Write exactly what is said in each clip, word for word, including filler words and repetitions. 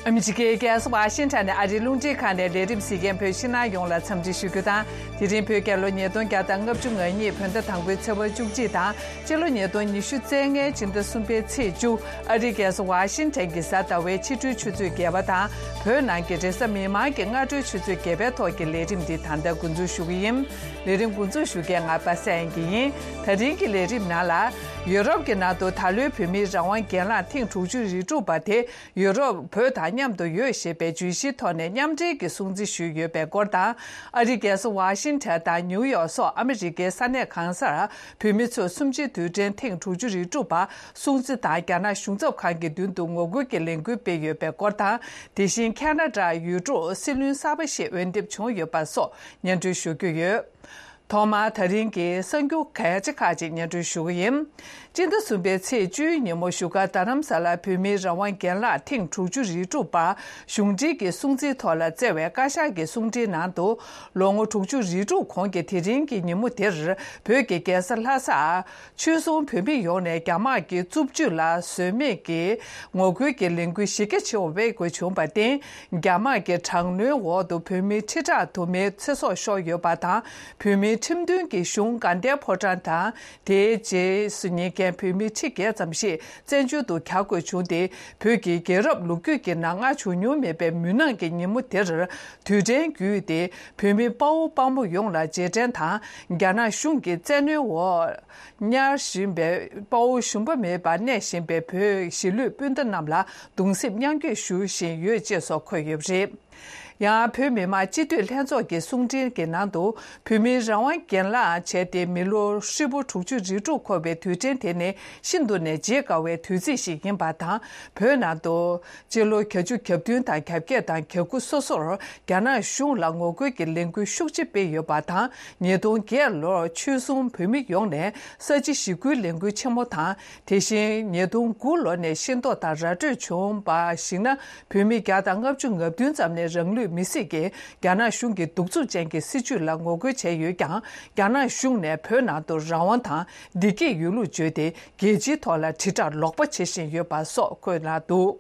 ཨ་མི་རི་ཀའི་རྒྱལ་ས་ཝ་ཤིང་ཊོན་ནས་ཨ་རིའི་རླུང་འཕྲིན་ཁང་ནས་ལས་རིམ་གཟིགས་མཁན་བོད་ཕྱི་ནང་ཡོངས་ལ་འཚམས་འདྲི་ཞུ་རྒྱུ་དང་། དེ་རིང་བོད་རྒྱལ་ལོ་ཉིས་སྟོང་བརྒྱ་དང་ལྔ་བཅུ་ང་གཉིས་བོད་ཟླ་དང་པོའི་ཚེས་པ་བཅུ་གཅིག་དང་། སྤྱི་ལོ་ཉིས་སྟོང་ཉི་ཤུ་རྩ་ལྔའི་སྤྱི་ཟླ་གསུམ་པའི་ཚེས་བཅུ། ཨ་རིའི་རྒྱལ་ས་ཝ་ཤིང་ཊོན་གྱི་གཟའ་ཟླ་བའི་ཕྱི་དྲོའི་ཆུ་ཚོད་བརྒྱད་པ་དང་། བོད་ནང་གི་རེས་གཟའ་མིག་དམར་གྱི་སྔ་དྲོའི་ཆུ་ཚོད་བརྒྱད་པའི་ཐོག་གི་ལས་རིམ་འདི་ད་ལྟ་འགོ་འཛུགས་ཞུ་གི་ཡིན། ལས་རིམ་འགོ་འཛུགས་ཞུ་མཁན་ང་པ་སངས་དབྱངས་སྐྱིད་ཡིན། ད་རིང་གི་ལས་རིམ་ནང་ལ། ཡུ་རོབ་ཀྱི་ནང་དུ་ད་ལོའི་བོད་མིའི་རང་དབང་སྒེར་ལངས་ཐེངས་དྲུག་ཅུ་རེ་དྲུག་པ་དེ། ཡུ་རོབ་བོད་དང་མཉམ་དུ་ཡོད་ཞེས་པའི་བརྗོད་གཞིའི་ཐོག་ནས་མཉམ་འབྲེལ་གྱི་སྲུང་བརྩི་ཞུས་ཡོད་པའི་སྐོར་དང་། ཨ་རིའི་རྒྱལ་ས་ཝ་ཤིང་ཊོན་དང་ནིའུ་ཡོག་སོགས་ཨ་མི་རི་ཀའི་ས་གནས་གང་སར་བོད་མི་ཚོས་གསུམ་བཅུའི་དུས་དྲན་ཐེངས་དྲུག་ཅུ་རེ་དྲུག་པ་སྲུང་བརྩི་དང་། རྒྱ་ནག་གཞུང་ཚབ་ཁང་གི་མདུན་དུ་ངོ་རྒོལ་གྱི་ལས་འགུལ་སྤེལ་ཡོད་པའི་སྐོར་དང་། དེ་བཞིན་ཁ་ན་ཌར་ཡུལ་གྲུར་སྲིད་བློན་གསར་པ་ཞིག་འོས་འདེམས་བྱུང་ཡོད་པ་སོགས་སྙན་སྒྲོན་ཞུ་རྒྱུ་ཡོད། ཐོག་མར་ད་རིང་གི་གསར་འགྱུར་གལ་ཆེ་ཁག་ཅིག་སྙན་སྒྲོན་ཞུ་གི་ཡིན། སྤྱི་ཟླ་གསུམ་པའི་ཚེས་བཅུའི་ཉིན་མོ་བཞུགས་སྒར་རྡ་རམ་ས་ལར་བོད་མིའི་རང་དབང་སྒེར་ལངས་ཐེངས་དྲུག་ཅུ་རེ་དྲུག་པ་གཞུང་འབྲེལ་གྱི་སྲུང་བརྩིའི་ཐོག་ལ་བསྩལ་བའི་བཀའ་ཤག་གི་གསུང་འཕྲིན་ནང་དུ། ལོ་ངོ་དྲུག་ཅུ་རེ་དྲུག་གོང་གི་དེ་རིང་གི་ཉིན་མོ་དེར་བོད་ཀྱི་རྒྱལ་ས་ལྷ་སར་ཆོལ་གསུམ་བོད་མི་ཡོངས་ནས་རྒྱ་དམག་གི་རྩུབ་སྤྱོད་ལ་བཟོད་མེད་ཀྱི་ངོ་རྒོལ་གྱི་ལས་འགུལ་གཞི་རྒྱ་ཆེ་བ་སྤེལ་དགོས་བྱུང་བར་བརྟེན། རྒྱ་དམག་གི་དྲག་གནོན་འོག་ཏུ་བོད་མི་ཁྲི་ཕྲག་དུ་མའི་ཚེ་སྲོག་ཤོར་ཡོད་པ་དང་། བོད་མིའི་ཁྲིམས་མཐུན་གྱི་གཞུང་དགའ་ལྡན་ཕོ་བྲང་དང་། དེའི་རྗེས་སུ་ཉེ་མཁན་བོད་མི་ཁྲི་བརྒྱད་ཙམ་ཞིག་བཙན་བྱོལ་དུ་གྱར་དགོས་བྱུང་སྟེ། བོད་ཀྱི་རྒྱལ་རབས་ལོ་རྒྱུས་ཀྱི་ནང་མངའ་བྱུང་མྱོང་མེད་པའི་མུན་ནག་གི་ཉིན་མོ་དེར་དུས་དྲན་བརྒྱུད་དེ། བོད་མི་དཔའ་བོ་དཔའ་མོ་ཡོངས་ལ་རྗེས་དྲན་དང་། རྒྱ་ནག་གཞུང་གི་བཙན་གནོན་འོག་ཉར་བཞིན་པའི་དཔའ་བོ་ཞུམ་པ་མེད་པར་གནས་བཞིན་པའི་བོད་གཞིས་ལུས་སྤུན་ཟླ་རྣམས་ལ་གདུང་སེམས་མཉམ་སྐྱེད་ཞུ་བཞིན་ཡོད་ཅེས་སོགས་འཁོད་ཡོད་པ་རེད། ཡང་བོད་མི་མང་སྤྱི་འཐུས་ལྷན་ཚོགས་ཀྱི་གསུང་འཕྲིན་གྱི་ནང་དུ། བོད་མིའི་རང་དབང་སྒེར་ལངས་བྱས་ཏེ་མི་ལོ་ཧྲིལ་པོ་དྲུག་ཅུ་རེ་དྲུག་འཁོར་བའི་དུས་དྲན་དེ་ནི་ཤིན་ཏུ་ནས་བརྗེད་དཀའ་བའི་དུས་ཚིགས་ཤིག་ཡིན་པ་དང་། བོད་ནང་དུ་སྤྱི་ལོ་བརྒྱད་ཅུ་གྱ་བདུན་དང་། གྱ་བརྒྱད་དང་། གྱ་དགུ་སོ་སོར་རྒྱ་ནག་གཞུང་ལ་ངོ་རྒོལ་གྱི་ལས་འགུལ་ཤུགས་ཆེ་སྤེལ་ཡོད་པ་དང་། ཉིས་སྟོང་བརྒྱད་ལོར་ཆོལ་གསུམ་བོད་མི་ཡོངས་ནས་ས་བྱི་ཞི་རྒོལ་ལས་འགུལ་ཆེན་མོ་དང་། དེ་བཞིན་ཉིས་སྟོང་དགུ་ལོ་ནས་ཤེས་རྟོགས་དང་ར་སྤྲོད་བྱུང་བར་གཞིགས་ན། བོད་མི་བརྒྱ་དང་ལྔ་བཅུ་ང་བདུན་ཙམ་ནས་རང་ལུས་མེར་སྲེག་གིས་རྒྱ་ནག་གཞུང་གི་གདུག་རྩུབ་ཅན་གྱི་སྲིད་བྱུས་ལ་ངོ་རྒོལ་བྱས་ཡོད་ཀྱང་། རྒྱ་ནག་གཞུང་ནས་བོད་ནང་དུ་རང་དབང་དང་བདེ་སྐྱིད་ཡོད་ལུགས་བརྗོད་དེ། རྒྱལ་སྤྱིའི་ཐོག་ལ་དྲིལ་བསྒྲགས་ལོག་པ་བྱེད་བཞིན་ཡོད་པ་སོགས་འཁོད་གནང་འདུག།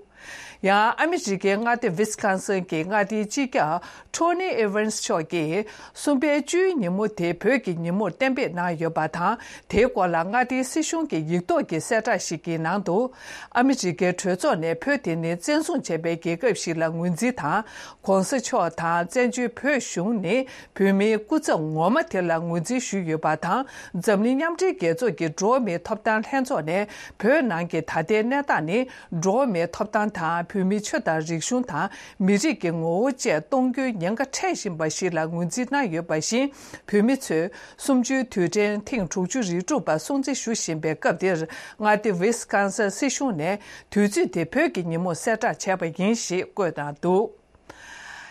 ཡང་ཨ་མི་རི་ཀའི་མངའ་སྡེ་ཝི་སི་ཀོན་སིན་གྱི་མངའ་སྡེའི་སྤྱི་ཁྱབ་ཊོ་ནི་ཨི་ཝན་སི་མཆོག་གིས། གསུམ་པའི་བཅུའི་ཉིན་མོ་དེ་བོད་ཀྱི་ཉིན་མོར་གཏན་འབེབས་གནང་ཡོད་པ་དང་། དེའི་སྐོར་ལ་མངའ་སྡེའི་སྲིད་གཞུང་གི་ཡིག་ཐོག་གི་གསལ་བསྒྲགས་ཤིག་གི་ནང་དུ། ཨ་མི་རི་ཀའི་གྲོས་ཚོགས་ནས་བོད་དེ་ནི་བཙན་བཟུང་བྱས་པའི་རྒྱལ་ཁབ་ཞིག་ལ་ངོས་འཛིན་དང་། ྋགོང་ས་མཆོག་དང་བཙན་བྱོལ་བོད་གཞུང་ནི་བོད་མིའི་སྐུ་ཚབ་ངོ་མ་དེ་ལ་ངོས་འཛིན་ཞུས་ཡོད་པ་དང་། འཛམ་གླིང་མཉམ་འབྲེལ་རྒྱལ་ཚོགས་ཀྱི་འགྲོ་བ་མིའི་ཐོབ་ཐང་ལྷན་ཚོགས་ནས་བོད་ནང་གི་ད་ལྟའི་གནས་སྟངས་ནི། འགྲོ་བ་མིའི་ཐོབ་ཐང་དང་། བོད་མིའི་ཆོས་དང་རིག་གཞུང་དང་། མི་རིགས་ཀྱི་ངོ་བོ་བཅས་གཏོང་རྒྱུའི་ཉེན་ཁ་འཕྲད་བཞིན་པ་ཞིག་ལ་ངོས་འཛིན་གནང་ཡོད་པ་བཞིན། བོད་མི་ཚོས་གསུམ་བཅུའི་དུས་དྲན་ཐེངས་དྲུག་ཅུ་རེ་དྲུག་པ་སྲུང་བརྩི་ཞུ་བཞིན་པའི་སྐབས་འདིར། མངའ་སྡེ་ཝི་སི་ཀོན་སིན་སྲིད་གཞུང་ནས་དུས་ཚོད་དེ་བོད་ཀྱི་ཉིན་མོར་གསལ་བསྒྲགས་བྱས་པ་ཡིན་ཞེས་བཀོད་གནང་འདུག།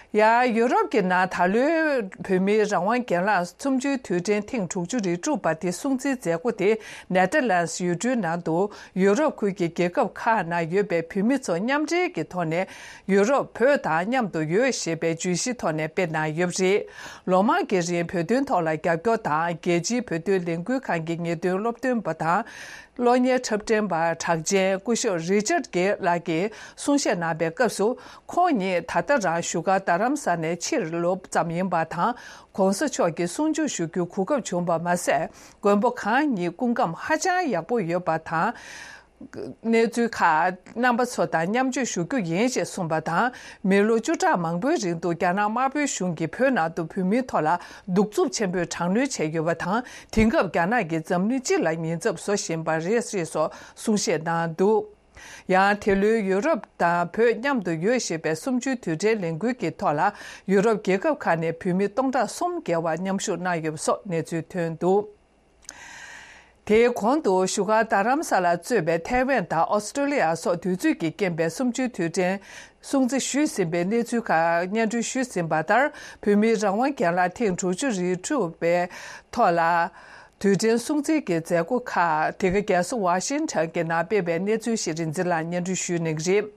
ཡང་ཡུ་རོབ་ཀྱི་ནང་ད་ལོའི་བོད་མིའི་རང་དབང་སྒེར་ལངས་གསུམ་བཅུའི་དུས་དྲན་ཐེངས་དྲུག་ཅུ་རེ་དྲུག་པ་དེ་སྲུང་བརྩིའི་མཛད་སྒོ་དེ་ནེ་ཐར་ལན་སི་ཡུལ་གྲུའི་ནང་དུ་ཡུ་རོབ་ཁུལ་གྱི་རྒྱལ་ཁབ་ཁག་ནང་ཡོད་པའི་བོད་མི་ཚོ་མཉམ་འབྲེལ་གྱི་ཐོག་ནས་ཡུ་རོབ་བོད་དང་མཉམ་དུ་ཡོད་ཞེས་པའི་བརྗོད་གཞིའི་ཐོག་ནས་སྤེལ་གནང་ཡོད་པ་རེད། ལོ་མང་གི་རིང་བོད་དོན་ཐོག་ལ་རྒྱབ་སྐྱོར་དང་། རྒྱལ་སྤྱིའི་བོད་དོན་ལས་འགུལ་ཁང་གི་ངེས་སྟོན་སློབ་སྟོན་པ་དང་། གློག་བརྙན་འཁྲབ་སྟོན་པ་གྲགས་ཅན་སྐུ་ཞབས་རི་ཅར་གྷེ་ལགས་ཀྱིས་གསུང་བཤད་གནང་པའི་སྐབས་སུ། ཁོང་ཉིད་ད་ལྟ་རང་བཞུགས་སྒར་རྡ་རམ་ས་ནས་ཕྱིར་ལོག་ཙམ་ཡིན་པ་དང་། ྋགོང་ས་མཆོག་གི་གསུང་ཆོས་ཞུ་རྒྱུའི་གོ་སྐབས་བྱུང་པ་མ་ཟད། མགོན་པོ་གང་ཉིད་སྐུ་ཁམས་ཧ་ཅང་ཡག་པོ་ཡོད་པ་དང་། གནས་ཚུལ་ཁག་རྣམ་པ་ཚོ་དང་མཉམ་སྤྱོད་ཞུ་རྒྱུ་ཡིན་ཞེས་གསུངས་པ་དང་། མི་ལོ་བཅུ་ཕྲག་མང་པོའི་རིང་དུ་རྒྱ་ནག་དམར་པོའི་གཞུང་གིས་བོད་ནང་དུ་བོད་མིའི་ཐོག་ལ་གདུག་རྩུབ་ཆེན་པོས་དྲག་གནོན་བྱས་ཡོད་པ་དང་། དེང་སྐབས་རྒྱ་ནག་གིས་འཛམ་གླིང་སྤྱི་ལ་ཉེན་ཚབས་བཟོ་བཞིན་པ་རེད་ཞེས་སོགས་གསུང་བཤད་གནང་འདུག། ཡང་དེ་ལོའི་ཡུ་རོབ་དང་བོད་མཉམ་དུ་ཡོད་ཞེས་པའི་གསུམ་བཅུའི་དུས་དྲན་ལས་འགུལ་གྱི་ཐོག་ལ། ཡུ་རོབ་རྒྱལ་ཁབ་ཁག་ནས་བོད་མི་སྟོང་ཕྲག་གསུམ་བརྒལ་བ་མཉམ་ཞུགས་གནང་ཡོད་པ་སོགས་གནས་ཚུལ་ཐོན་འདུག། དེའི་གོང་དུ་བཞུགས་སྒར་རྡ་རམ་ས་ལར་གཙོས་པའི་ཐའེ་ཝན་དང་ཨོ་སི་ཀྲོ་ལི་ཡ་སོགས་དུས་ཚོད་ཀྱིས་རྐྱེན་པས་གསུམ་བཅུའི་དུས་དྲན་སྲུང་བརྩི་ཞུས་ཟིན་པའི་གནས་ཚུལ་ཁག་སྙན་སྒྲོན་ཞུས་ཟིན་པ་ལྟར། བོད་མིའི་རང་དབང་སྒེར་ལངས་ཐེངས་དྲུག་ཅུ་རེ་དྲུག་པའི་ཐོག་ལ། དུས་དྲན་སྲུང་བརྩི་གི་མཛད་སྒོ་ཁག་དེ་ག་རྒྱལ་ས་ཝ་ཤིང་ཊོན་གྱི་ནང་སྤེལ་བའི་གནས་ཚུལ་ཞིག་རིག་འཛིན་ལགས་སྙན་སྒྲོན་ཞུ་གནང་གི་རེད།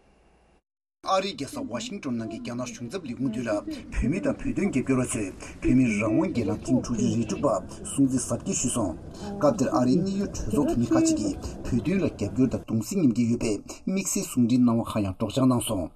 ཨ་རིའི་རྒྱལ་ས་ཝ་ཤིང་ཊོན་ནང་གི་རྒྱ་ནག་གཞུང་ཚབ་ལས་ཁུངས་མདུན་ལ། བོད་མི་དང་བོད་དོན་རྒྱབ་སྐྱོར་བ་ཚོས་བོད་མིའི་རང་དབང་སྒེར་ལངས་ཐེངས་དྲུག་ཅུ་རེ་དྲུག་པ་སྲུང་བརྩི་གཟབ་རྒྱས་ཞུས་སོང་། སྐབས་དེར་ཨ་རིའི་གནད་ཡོད་གྲོས་ཚོགས་འཐུས་མི་ཁག་ཅིག་གིས་བོད་དོན་ལ་རྒྱབ་སྐྱོར་དང་གདུང་སེམས་མཉམ་སྐྱེད་ཡོད་པའི་དམིགས་བསལ་གསུང་འཕྲིན་གནང་བ་ཁག་ཡང་སྒྲོག་སྦྱང་གནང་སོང་།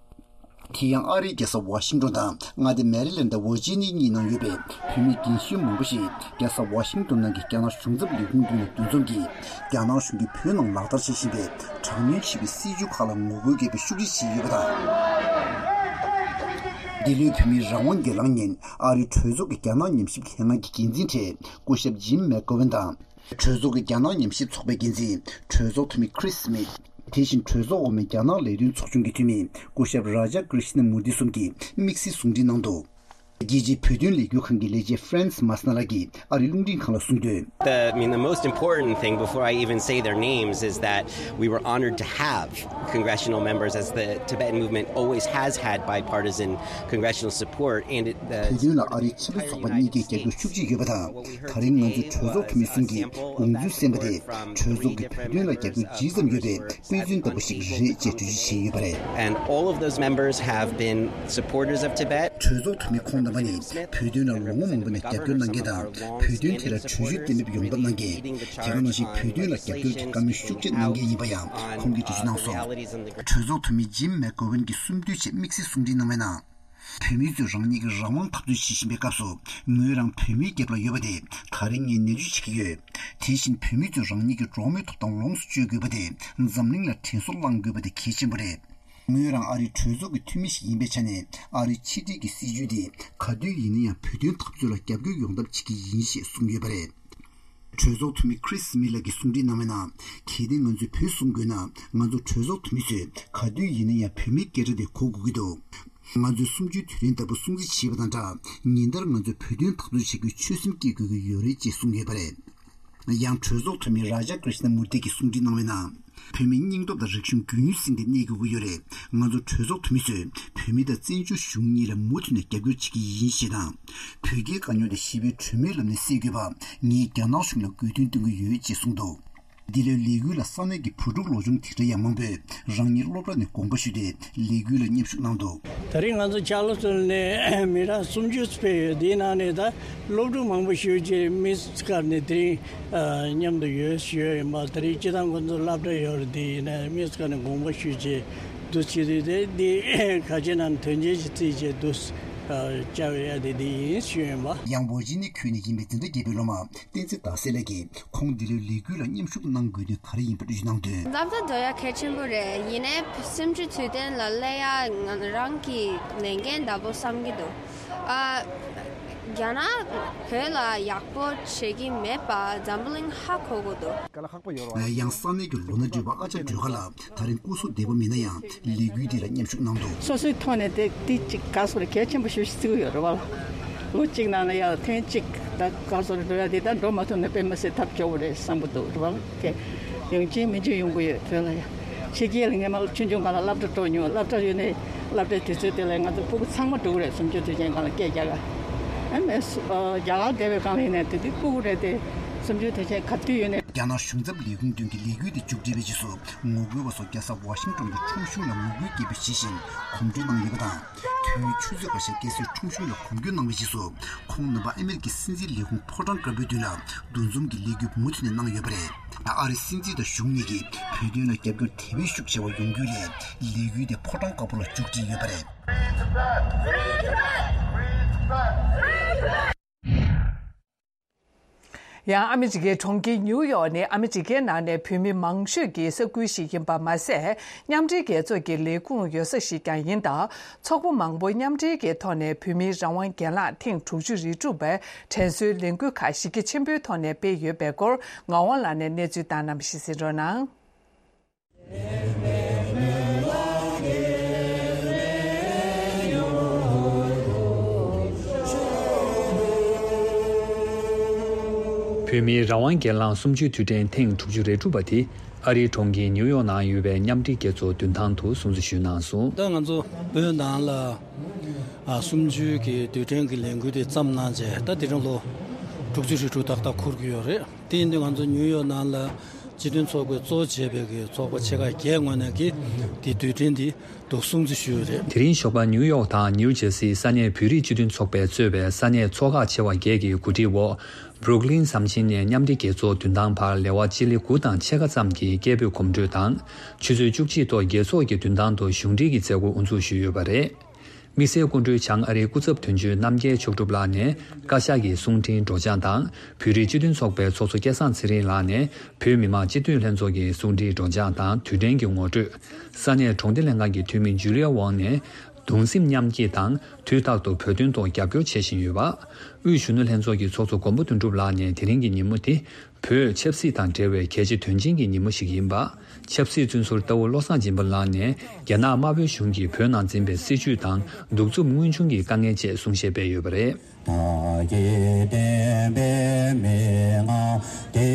དེ་ཡང་ཨ་རིའི་རྒྱལ་ས་ཝ་ཤིང་ཏོན་དང་མངའ་སྡེ་མེ་རི་ལེན་དང་ཝར་ཇི་ནི་ཡ་གཉིས་ནང་ཡོད་པའི་བོད་མི་རྒན་གཞོན་མང་པོ་ཞིག་རྒྱལ་ས་ཝ་ཤིང་ཏོན་ནང་གི་རྒྱ་ནག་གཞུང་ཚབ་ལས་ཁུངས་མདུན་ལ་འདུ་འཛོམས་ཀྱིས་རྒྱ་ནག་གཞུང་གིས་བོད་ནང་ལག་བསྟར་བྱེད་བཞིན་པའི་དྲག་གནོན་བྱེད་པའི་སྲིད་བྱུས་ཁག་ལ་ངོ་རྒོལ་བརྒྱབ་པའི་ཤུགས་རྒྱག་བྱས་ཡོད་པ་དང་། འདི་ལོའི་བོད་མིའི་རང་དབང་སྒེར་ལངས་ཉིན་ཨ་རིའི་གྲོས་ཚོགས་ཀྱི་རྒྱ་ནག་ཉམས་ཞིབ་ལྷན་ཁང་གི་འགན་འཛིན་གྲས་སྐུ་ཞབས་ཇིམ་མེག་གྷོ་ཝན་དང་། གྲོས་ཚོགས་ཀྱི་རྒྱ་ནག་ཉམས་ཞིབ་ཚོགས་པའི་འགན་འཛིན་གྲོས་ཚོགས་འཐུས་མི་ཁྲིས་སི་མིད། དེ་བཞིན་གྲོས་ཚོགས་འོག་མའི་རྒྱ་ནག་ལས་དོན་ཚོགས་ཆུང་གི་འཐུས་མི་སྐུ་ཞབས་རཱ་ཇ་ཀྲི་ཤ་ན་མུར་ཏི་གསུམ་གྱིས་དམིགས་བསལ་གསུང་འཕྲིན་གནང་འདུག་རྒྱལ་སྤྱིའི་བོད་དོན་ལས་འགུལ་ཁང་གི་ལས་བྱེད་ཧྥ་རན་སི་མཱ་སི་ན་ལགས་ཀྱིས་ཨ་རིའི་རླུང་འཕྲིན་ཁང་ལ་གསུངས་དོན། The, I mean, the most important thing before I even say their names is that we were honored to have congressional members, as the Tibetan movement always has had bipartisan congressional support, and it, the བོད་དོན་ལ་ཨ་རིའི་ཆེས་མཐོའི་ཚོགས་པ་གཉིས་ཀས་རྒྱབ་སྐྱོར་ཤུགས་ཆེ་ཡོད་པ་དང་། ད་རིང་ང་ཚོའི་གྲོས་ཚོགས་འཐུས་མི་གསུམ་གྱིས་དགོངས་ཚུལ་གསན་པ་དེ་གྲོས་ཚོགས་ཀྱི་བོད་དོན་ལ་རྒྱབ་སྐྱོར་ཇི་ཙམ་ཡོད་པའི་དཔེ་མཚོན་ལྟ་བུ་ཞིག་རེད་ཅེས་འགྲེལ་བརྗོད་བྱས་ཡོད་པ་རེད། And all of those members have been supporters of Tibet. གྲོས་ཚོགས་འཐུས་མི་ཁོང་རྣམ་པ་ནི་བོད་དོན་ལ་ལོ་ངོ་མང་པོ་ནས་རྒྱབ་སྐྱོར་གནང་མཁན་དང་། བོད་དོན་ཐད་ལ་གྲོས་གཞི་གཏན་འབེབས་ཡོང་ཐབས་གནང་མཁན། དེ་ག་ནང་བཞིན་བོད་དོན་ལ་རྒྱབ་སྐྱོར་གྱི་བཀའ་མོལ་ཤུགས་ཆེ་གནང་མཁན་ཡིན་པ་ཡང་ཁོང་གིས་འགྲེལ་བརྗོད་གནང་སོང་། གྲོས་ཚོགས་འཐུས་མི་ཇིམ་མེག་གྷོ་ཝན་གྱིས་གསུམ་བསྡུས་བྱས་དམིགས་བསལ་གསུང་འཕྲིན་གནང་བའི་ནང་། བོད་མི་ཚོས་རང་ཉིད་ཀྱི་རང་དབང་འཐབ་རྩོད་བྱེད་བཞིན་པའི་སྐབས་སུ། ངོས་རང་བོད་མིའི་རྒྱབ་ལ་ཡོད་པ་དེ་ད་རིང་ངས་ནན་བརྗོད་བྱེད་ཀྱི་ཡོད། དེ་བཞིན་བོད་མི་ཚོས་རང་ཉིད་ཀྱི་འགྲོ་བ་མིའི་ཐོབ་ཐང་ལོངས་སུ་སྤྱོད་དགོས་པ་དེ་འཛམ་གླིང་ལ་དྲན་གསོ་བསླང་དགོས་པ་དེ་གལ་ཆེན་པོ་རེད། ངོས་རང་ཨ་རིའི་གྲོས་ཚོགས་ཀྱི་འཐུས་མི་ཞིག་ཡིན་པའི་ཆ་ནས། ཨ་རིའི་ཕྱི་འབྲེལ་གྱི་སྲིད་ཇུས་དེ་ག་དུས་ཡིན་ན་ཡང་བོད་དོན་འཐབ་རྩོད་ལ་རྒྱབ་སྐྱོར་ཡོང་ཐབས་བྱེད་ཀྱི་ཡིན་ཞེས་གསུངས་ཡོད་པ་རེད། གྲོས་ཚོགས་འཐུས་མི་ཁྲིས་སི་མིད་ལགས་ཀྱིས་གསུང་འཕྲིན་གནང་བའི་ནང་། གལ་ཏེ་ང་ཚོས་བོད་གསུང་དགོས་ན། ང་ཚོ་གྲོས་ཚོགས་འཐུས་མི་ཚོས་ག་དུས་ཡིན་ན་ཡང་བོད་མིའི་སྐད་སྒྲ་དེ་གོ་དགོས་ཀྱི་འདུག་ང་ཚོས་གསུམ་བཅུའི་དུས་དྲན་ལྟ་བུ་སྲུང་བརྩི་བྱེད་པ་དང་སྦྲགས། ཉིན་ལྟར་ང་ཚོས་བོད་དོན་འཐབ་རྩོད་བྱེད་རྒྱུའི་ཆོད་སེམས་བསྐྱེད་དགོས་ཀྱི་ཡོད་རེད་ཅེས་གསུངས་ཡོད་པ་རེད། ཡང་གྲོས་ཚོགས་འཐུས་མི་རཱ་ཇ་ཀྲི་ཤ་ན་མུར་ཏི་གིས་གསུང་འཕྲིན་གནང་བའི་ནང་། བོད་མི་སྙིང་སྟོབས་དང་རིག་གཞུང་རྒྱུན་སྲིང་དེ་གནས་དགོས་ཀྱི་ཡོད་རེད། ང་ཚོ་གྲོས་ཚོགས་འཐུས་མི་ཚོས་བོད་མི་དང་བཙན་བྱོལ་གཞུང་གཉིས་ལ་མུ་མཐུད་ནས་རྒྱབ་སྐྱོར་བྱེད་ཀྱི་ཡིན་ཞེས་དང་། བོད་རྒྱའི་དཀའ་རྙོག་དེ་ཞི་བའི་གྲོས་མོལ་ལམ་ནས་སེལ་དགོས་པ་ངས་རྒྱ་ནག་གཞུང་ལ་དགོས་འདུན་བཏོན་གྱི་ཡོད་ཅེས་གསུངས་འདུག་འདི་ལོའི་ལས་འགུལ་ལ་ས་གནས་ཀྱི་བུ་ཕྲུག་ལོ་ཆུང་དེ་འདྲ་ཡང་མང་པོས་རང་ཉིད་སློབ་གྲྭ་ནས་དགོངས་པ་ཞུས་ཏེ་ལས་འགུལ་ལ་མཉམ་ཞུགས་གནང་འདུག་ད་རེས་ང་ཚོ་ཅཱ་ལི་སི་ཊོན་ནས་མི་གྲངས་སུམ་ཅུ་ཕེབས་ཡོད། དེའི་ནང་ནས་ད་སློབ་ཕྲུག་མང་པོ་ཞུས་རྗེས་མི་སྐར་ནས་དེ་རིང་མཉམ་དུ་ཡོད་ཞུས་ཡིན་པ། ད་རེས་སྤྱི་བཏང་ཁོ་ཚོ་སློབ་གྲྭ་ཡོད་རེད། དེ་ཡིན་ན་མི་སྐར་ནས་དགོངས་པ་ཞུས་རྗེས་འདུ་བྱེད་དུས་དེ་འདི་ཁ་ཆེ་ནང་དོན་ཆེན་ཞིག་བརྩིས་རྗེས་འདུ་བཅར་ཡ་དེ་འདི་ཡིན་ཞུས་ཡིན་པ། ཡང་ཝར་ཇི་ནི་ཁུལ་ནས་ཡིན་པའི་འཛིན་གྲྭ་བརྒྱད་པའི་སློབ་མ། བསྟན་འཛིན་ཟླ་གསལ་ལགས་ཀྱིས་ཁོང་འདི་ལོའི་ལས་འགུལ་ལ་མཉམ་ཞུགས་གནང་དགོས་དོན་ག་རེ་ཡིན་པ་འགྲེལ་བརྗོད་གནང་དོན། འཛམ་བུ་གླིང་འགྲོ་ཡ་གལ་ཆེན་པོ་རེད། ཡིན་ནའི་གསུམ་བཅུའི་དུས་དྲན་ལ་སླེབས་ཡ་ང་རང་གི་ལས་འགན་འདྲ་པོ་བསམ་གྱི་འདུག་ཨ། རྒྱ་ནག་བོད་ལ་ཡག་པོ་བྱེད་ཀྱི་མེད་པ་འཛམ་བུ་གླིང་ཧ་གོ་དགོས་འདུག་ཡང་ས་གནས་ཀྱི་ལོ་ན་རྒས་པ་ཨ་ཅག་སྒྲོལ་དཀར་ལགས། ད་རིང་སྐུ་གཟུགས་བདེ་པོ་མེད་ན་ཡང་ལས་འགུལ་འདི་ལ་མཉམ་ཞུགས་གནང་འདུག་སོ་སོའི་ཐོག་ནས་དེ་དེ་གཅིག་ག་སོ་རེ་གལ་ཆེན་པོ་ཞེ་པོ་ཞིག་བརྩི་གི་ཡོད་རེད་བ། ལོ་གཅིག་ནང་ལ་ཡང་ཐེངས་གཅིག་ད་ག་སོ་རེ་འགྲོ་ཡ་དེ་ད་འགྲོ་མ་ཐུབ་ན་དཔེ་མི་སྲིད་ཐབས་སྐྱོ་བོ་རེད་བསམ་གི་འདུག་རེད་བ། དེ་ཡོང་གི་མི་འཇིག་ཡོང་གི་ཡོད་བོད་ལ་ཡ། ཕྱི་རྒྱལ་ལ་ངས་མ་ཆུང་ཆུང་སྒང་ལ་སློབ་གྲྭ་འགྲོ་མྱོང་། སློབ་གྲྭ་ཡོད་ནས་སློབ་གྲྭའི་དུས་ཚོད་དེ་ལ་ང་ཚོ་ཕྲུ་གུ་ཚང་མ་འགྲོ་གི་རེད། སུམ་ཅུ་དུས་ཆེན་སྒང་ལ་སྐད་རྒྱག་ག་ཨ་མས་སུ་ཨ་རྒྱ་གར་བསྡད་པའི་སྒང་ལ་ཡིན་ནས་དེ་དུས་ཕྲུ་གུ་རེད་དེ། སུམ་ཅུ་དུས་ཆེན་ག་དུས་ཡོད་ནས། རྒྱ་ནག་གཞུང་ཚབ་ལས་ཁུངས་མདུན་གྱི་ལས་འགུལ་དེ་མཇུག་སྒྲིལ་བའི་རྗེས་སུ། ངོ་རྒོལ་བ་ཚོ་རྒྱལ་ས་ཝ་ཤིང་ཏོན་གྱི་ཁྲོམ་གཞུང་ལ་ངོ་རྒོལ་སྐད་འབོད་བྱེད་བཞིན་གོམ་བགྲོད་གནང་ཡོད་པ་དང་། ཐོན་ཆུ་ཚོད་ཁ་ཤས་སྐྱེལ་སའི་ཁྲོམ་གཞུང་ལ་གོམ་བགྲོད་གནང་བའི་རྗེས་སུ། ཁོང་རྣམ་པ་ཨ་མེ་རི་ཀའི་སྲིད་འཛིན་ལས་ཁུངས་ཕོ་བྲང་དཀར་པོའི་མདུན་ལ་འདུ་འཛོམས་ཀྱི་ལས་འགུལ་མུ་མཐུད་ནས་གནང་ཡོད་པ་རེད། ཨ་རིའི་སྲིད་འཛིན་དང་གཞུང་གཉིས་ཀྱིས་བོད་དོན་ལ་རྒྱབ་སྐྱོར་དེ་བས་ཤུགས་ཆེ་བ་ཡོང་རྒྱུ་ལས། ལས་འགུལ་དེ་ཕོ་བྲང་དཀར་པོ་ལ་མཇུག་སྒྲིལ་ཡོད་པ་རེད། ཡང་ཨ་མི་རི་ཀའི་གྲོང་ཁྱེར་ཉིའུ་ཡོག་ནི་ཨ་མི་རི་ཀའི་ནང་ནས་བོད་མི་མང་ཤོས་ཀྱི་ས་ཁུལ་ཞིག་ཡིན་པ་མ་ཟད། མཉམ་འབྲེལ་རྒྱལ་ཚོགས་ཀྱི་ལས་ཁུངས་ཡོད་ས་ཞིག་ཀྱང་ཡིན་སྟབས། ཚོགས་པ་མང་པོ་མཉམ་འབྲེལ་གྱི་ཐོག་ནས་བོད་མིའི་རང་དབང་སྒེར་ལངས་ཐེངས་དྲུག་ཅུ་རེ་དྲུག་པའི་དྲན་གསོའི་ལས་འགུལ་ཁག་གཞི་རྒྱ་ཆེན་པོའི་ཐོག་ནས་སྤེལ་ཡོད་པའི་སྐོར་ངག་དབང་ལགས་ནས་གནས་ཚུལ་བཏང་གནང་བ་ཞིག་གསན་རོགས་གནང་། བོད་མིའི་རང་དབང་སྒེར་ལངས་གསུམ་བཅུའི་དུས་དྲན་ཐེངས་དྲུག་ཅུ་རེ་དྲུག་པ་དེ་ཨ་རིའི་གྲོང་ཁྱེར་ཉིའུ་ཡོག་ནང་ཡོད་པའི་མཉམ་འབྲེལ་རྒྱལ་ཚོགས་མདུན་ཐང་དུ་སྲུང་བརྩི་ཞུས་གནང་སོང་། ད་ང་ཚོ་བོད་ནང་ལ་ཨ་གསུམ་བཅུའི་གི་དུས་དྲན་གྱི་ལས་འགུལ་དེ་བརྩམས་གནང་རྗེས་ད་དེ་རིང་ལོ་དྲུག་ཅུ་རེ་དྲུག་ཏག་ཏག་འཁོར་གྱི་ཡོད་རེད། དེ་ཡིན་དུས་ང་ཚོ་ཉིའུ་ཡོག་ནང་ལ་ སྤྱི་མཐུན་ཚོགས་པས་གཙོ་བྱས་པའི་གི་ཚོགས་པ་ཆེ་ཁག་བརྒྱད་ངོས་ནས་ཀྱི་དེ་དུས་དྲན་འདི་འདུག་སྲུང་བརྩི་ཞུས་ཡོད་རེད། དེ་རིང་ཞོགས་པ་ནིའུ་ཡོག་དང་ནིའུ་ཇེར་སིའི་ས་གནས་བོད་རིགས་སྤྱི་མཐུན་ཚོགས་པས་གཙོས་པའི་ས་གནས་ཚོགས་ཁག་ཆེ་བ་བརྒྱད་ཀྱི་གོ་སྒྲིག་འོག་བྷུ་རུག་ལིན་ཟམ་ཆེན་ནས་མཉམ་འབྲེལ་རྒྱལ་ཚོགས་མདུན་ཐང་བར་ལེ་དབར་སྤྱི་ལེ་དགུ་དང་ཕྱེད་ཀ་ཙམ་གྱི་སྐད་འབོད་གོམ་བགྲོད་དང་། ཆུ་ཚོད་བཅུ་གཅིག་ཐོག་རྒྱལ་ཚོགས་ཀྱི་མདུན་ཐང་དུ་གཞུང་འབྲེལ་གྱི་མཛད་སྒོ་དབུ་འཛུགས་ཞུས་ཡོད་པ་རེད། དམིགས་བསལ་སྐུ་མགྲོན་བྱང་ཨ་རིའི་སྐུ་ཚབ་དོན་གཅོད་རྣམ་རྒྱལ་མཆོག་གྲུབ་ལགས་ནས་བཀའ་ཤག་གི་གསུང་འཕྲིན་སྒྲོག་སྦྱང་དང་། བོད་རིགས་སྤྱི་མཐུན་ཚོགས་པའི་ཚོགས་གཙོ་སྐལ་བཟང་ཚེ་རིང་ལགས་ནས་བོད་མི་མང་སྤྱི་འཐུས་ལྷན་ཚོགས་ཀྱི་གསུང་འཕྲིན་སྒྲོག་སྦྱང་དང་དུས་དྲན་གྱི་ངོ་སྤྲོད། ས་གནས་གྲོང་སྡེ་ལྷན་ཁང་གི་འཐུས་མི་ཇུ་ལི་ཡ་ཝང་ནས་གདུང་སེམས་མཉམ་སྐྱེད་དང་དུས་རྟག་ཏུ་བོད་དོན་ཐོག་རྒྱབ་སྐྱོར་བྱེད་བཞིན་ཡོད་པ། དབུས་གཞོན་ནུ་ལྷན་ཚོགས་ཀྱི་ཚོགས་གཙོ་མགོན་པོ་དོན་གྲུབ་ལགས་ནས་དེ་རིང་གི་ཉིན་མོ་དེ། བོད་ཆབ་སྲིད་དང་འབྲེལ་བའི་གལ་ཆེ་དོན་ཆེན་གྱི་ཉིན་མོ་ཞིག་ཡིན་པ། ཆབ་སྲིད་བཙོན་ཟུར་ལྟ་བུ་བློ་བཟང་སྦྱིན་པ་ལགས་ནས་རྒྱ་ནག་དམར་པོའི་གཞུང་གིས་བོད་ནང་འཛིན་པའི་སྲིད་བྱུས་དང་གདུག་རྩུབ་དངོས་བྱུང་གི་དཀའ་ངལ་བཅས་གསུང་བཤད་སྤེལ་ཡོད་པ་རེད། བདག་གི་བསྟན་པའི་མན་ངག་དེ་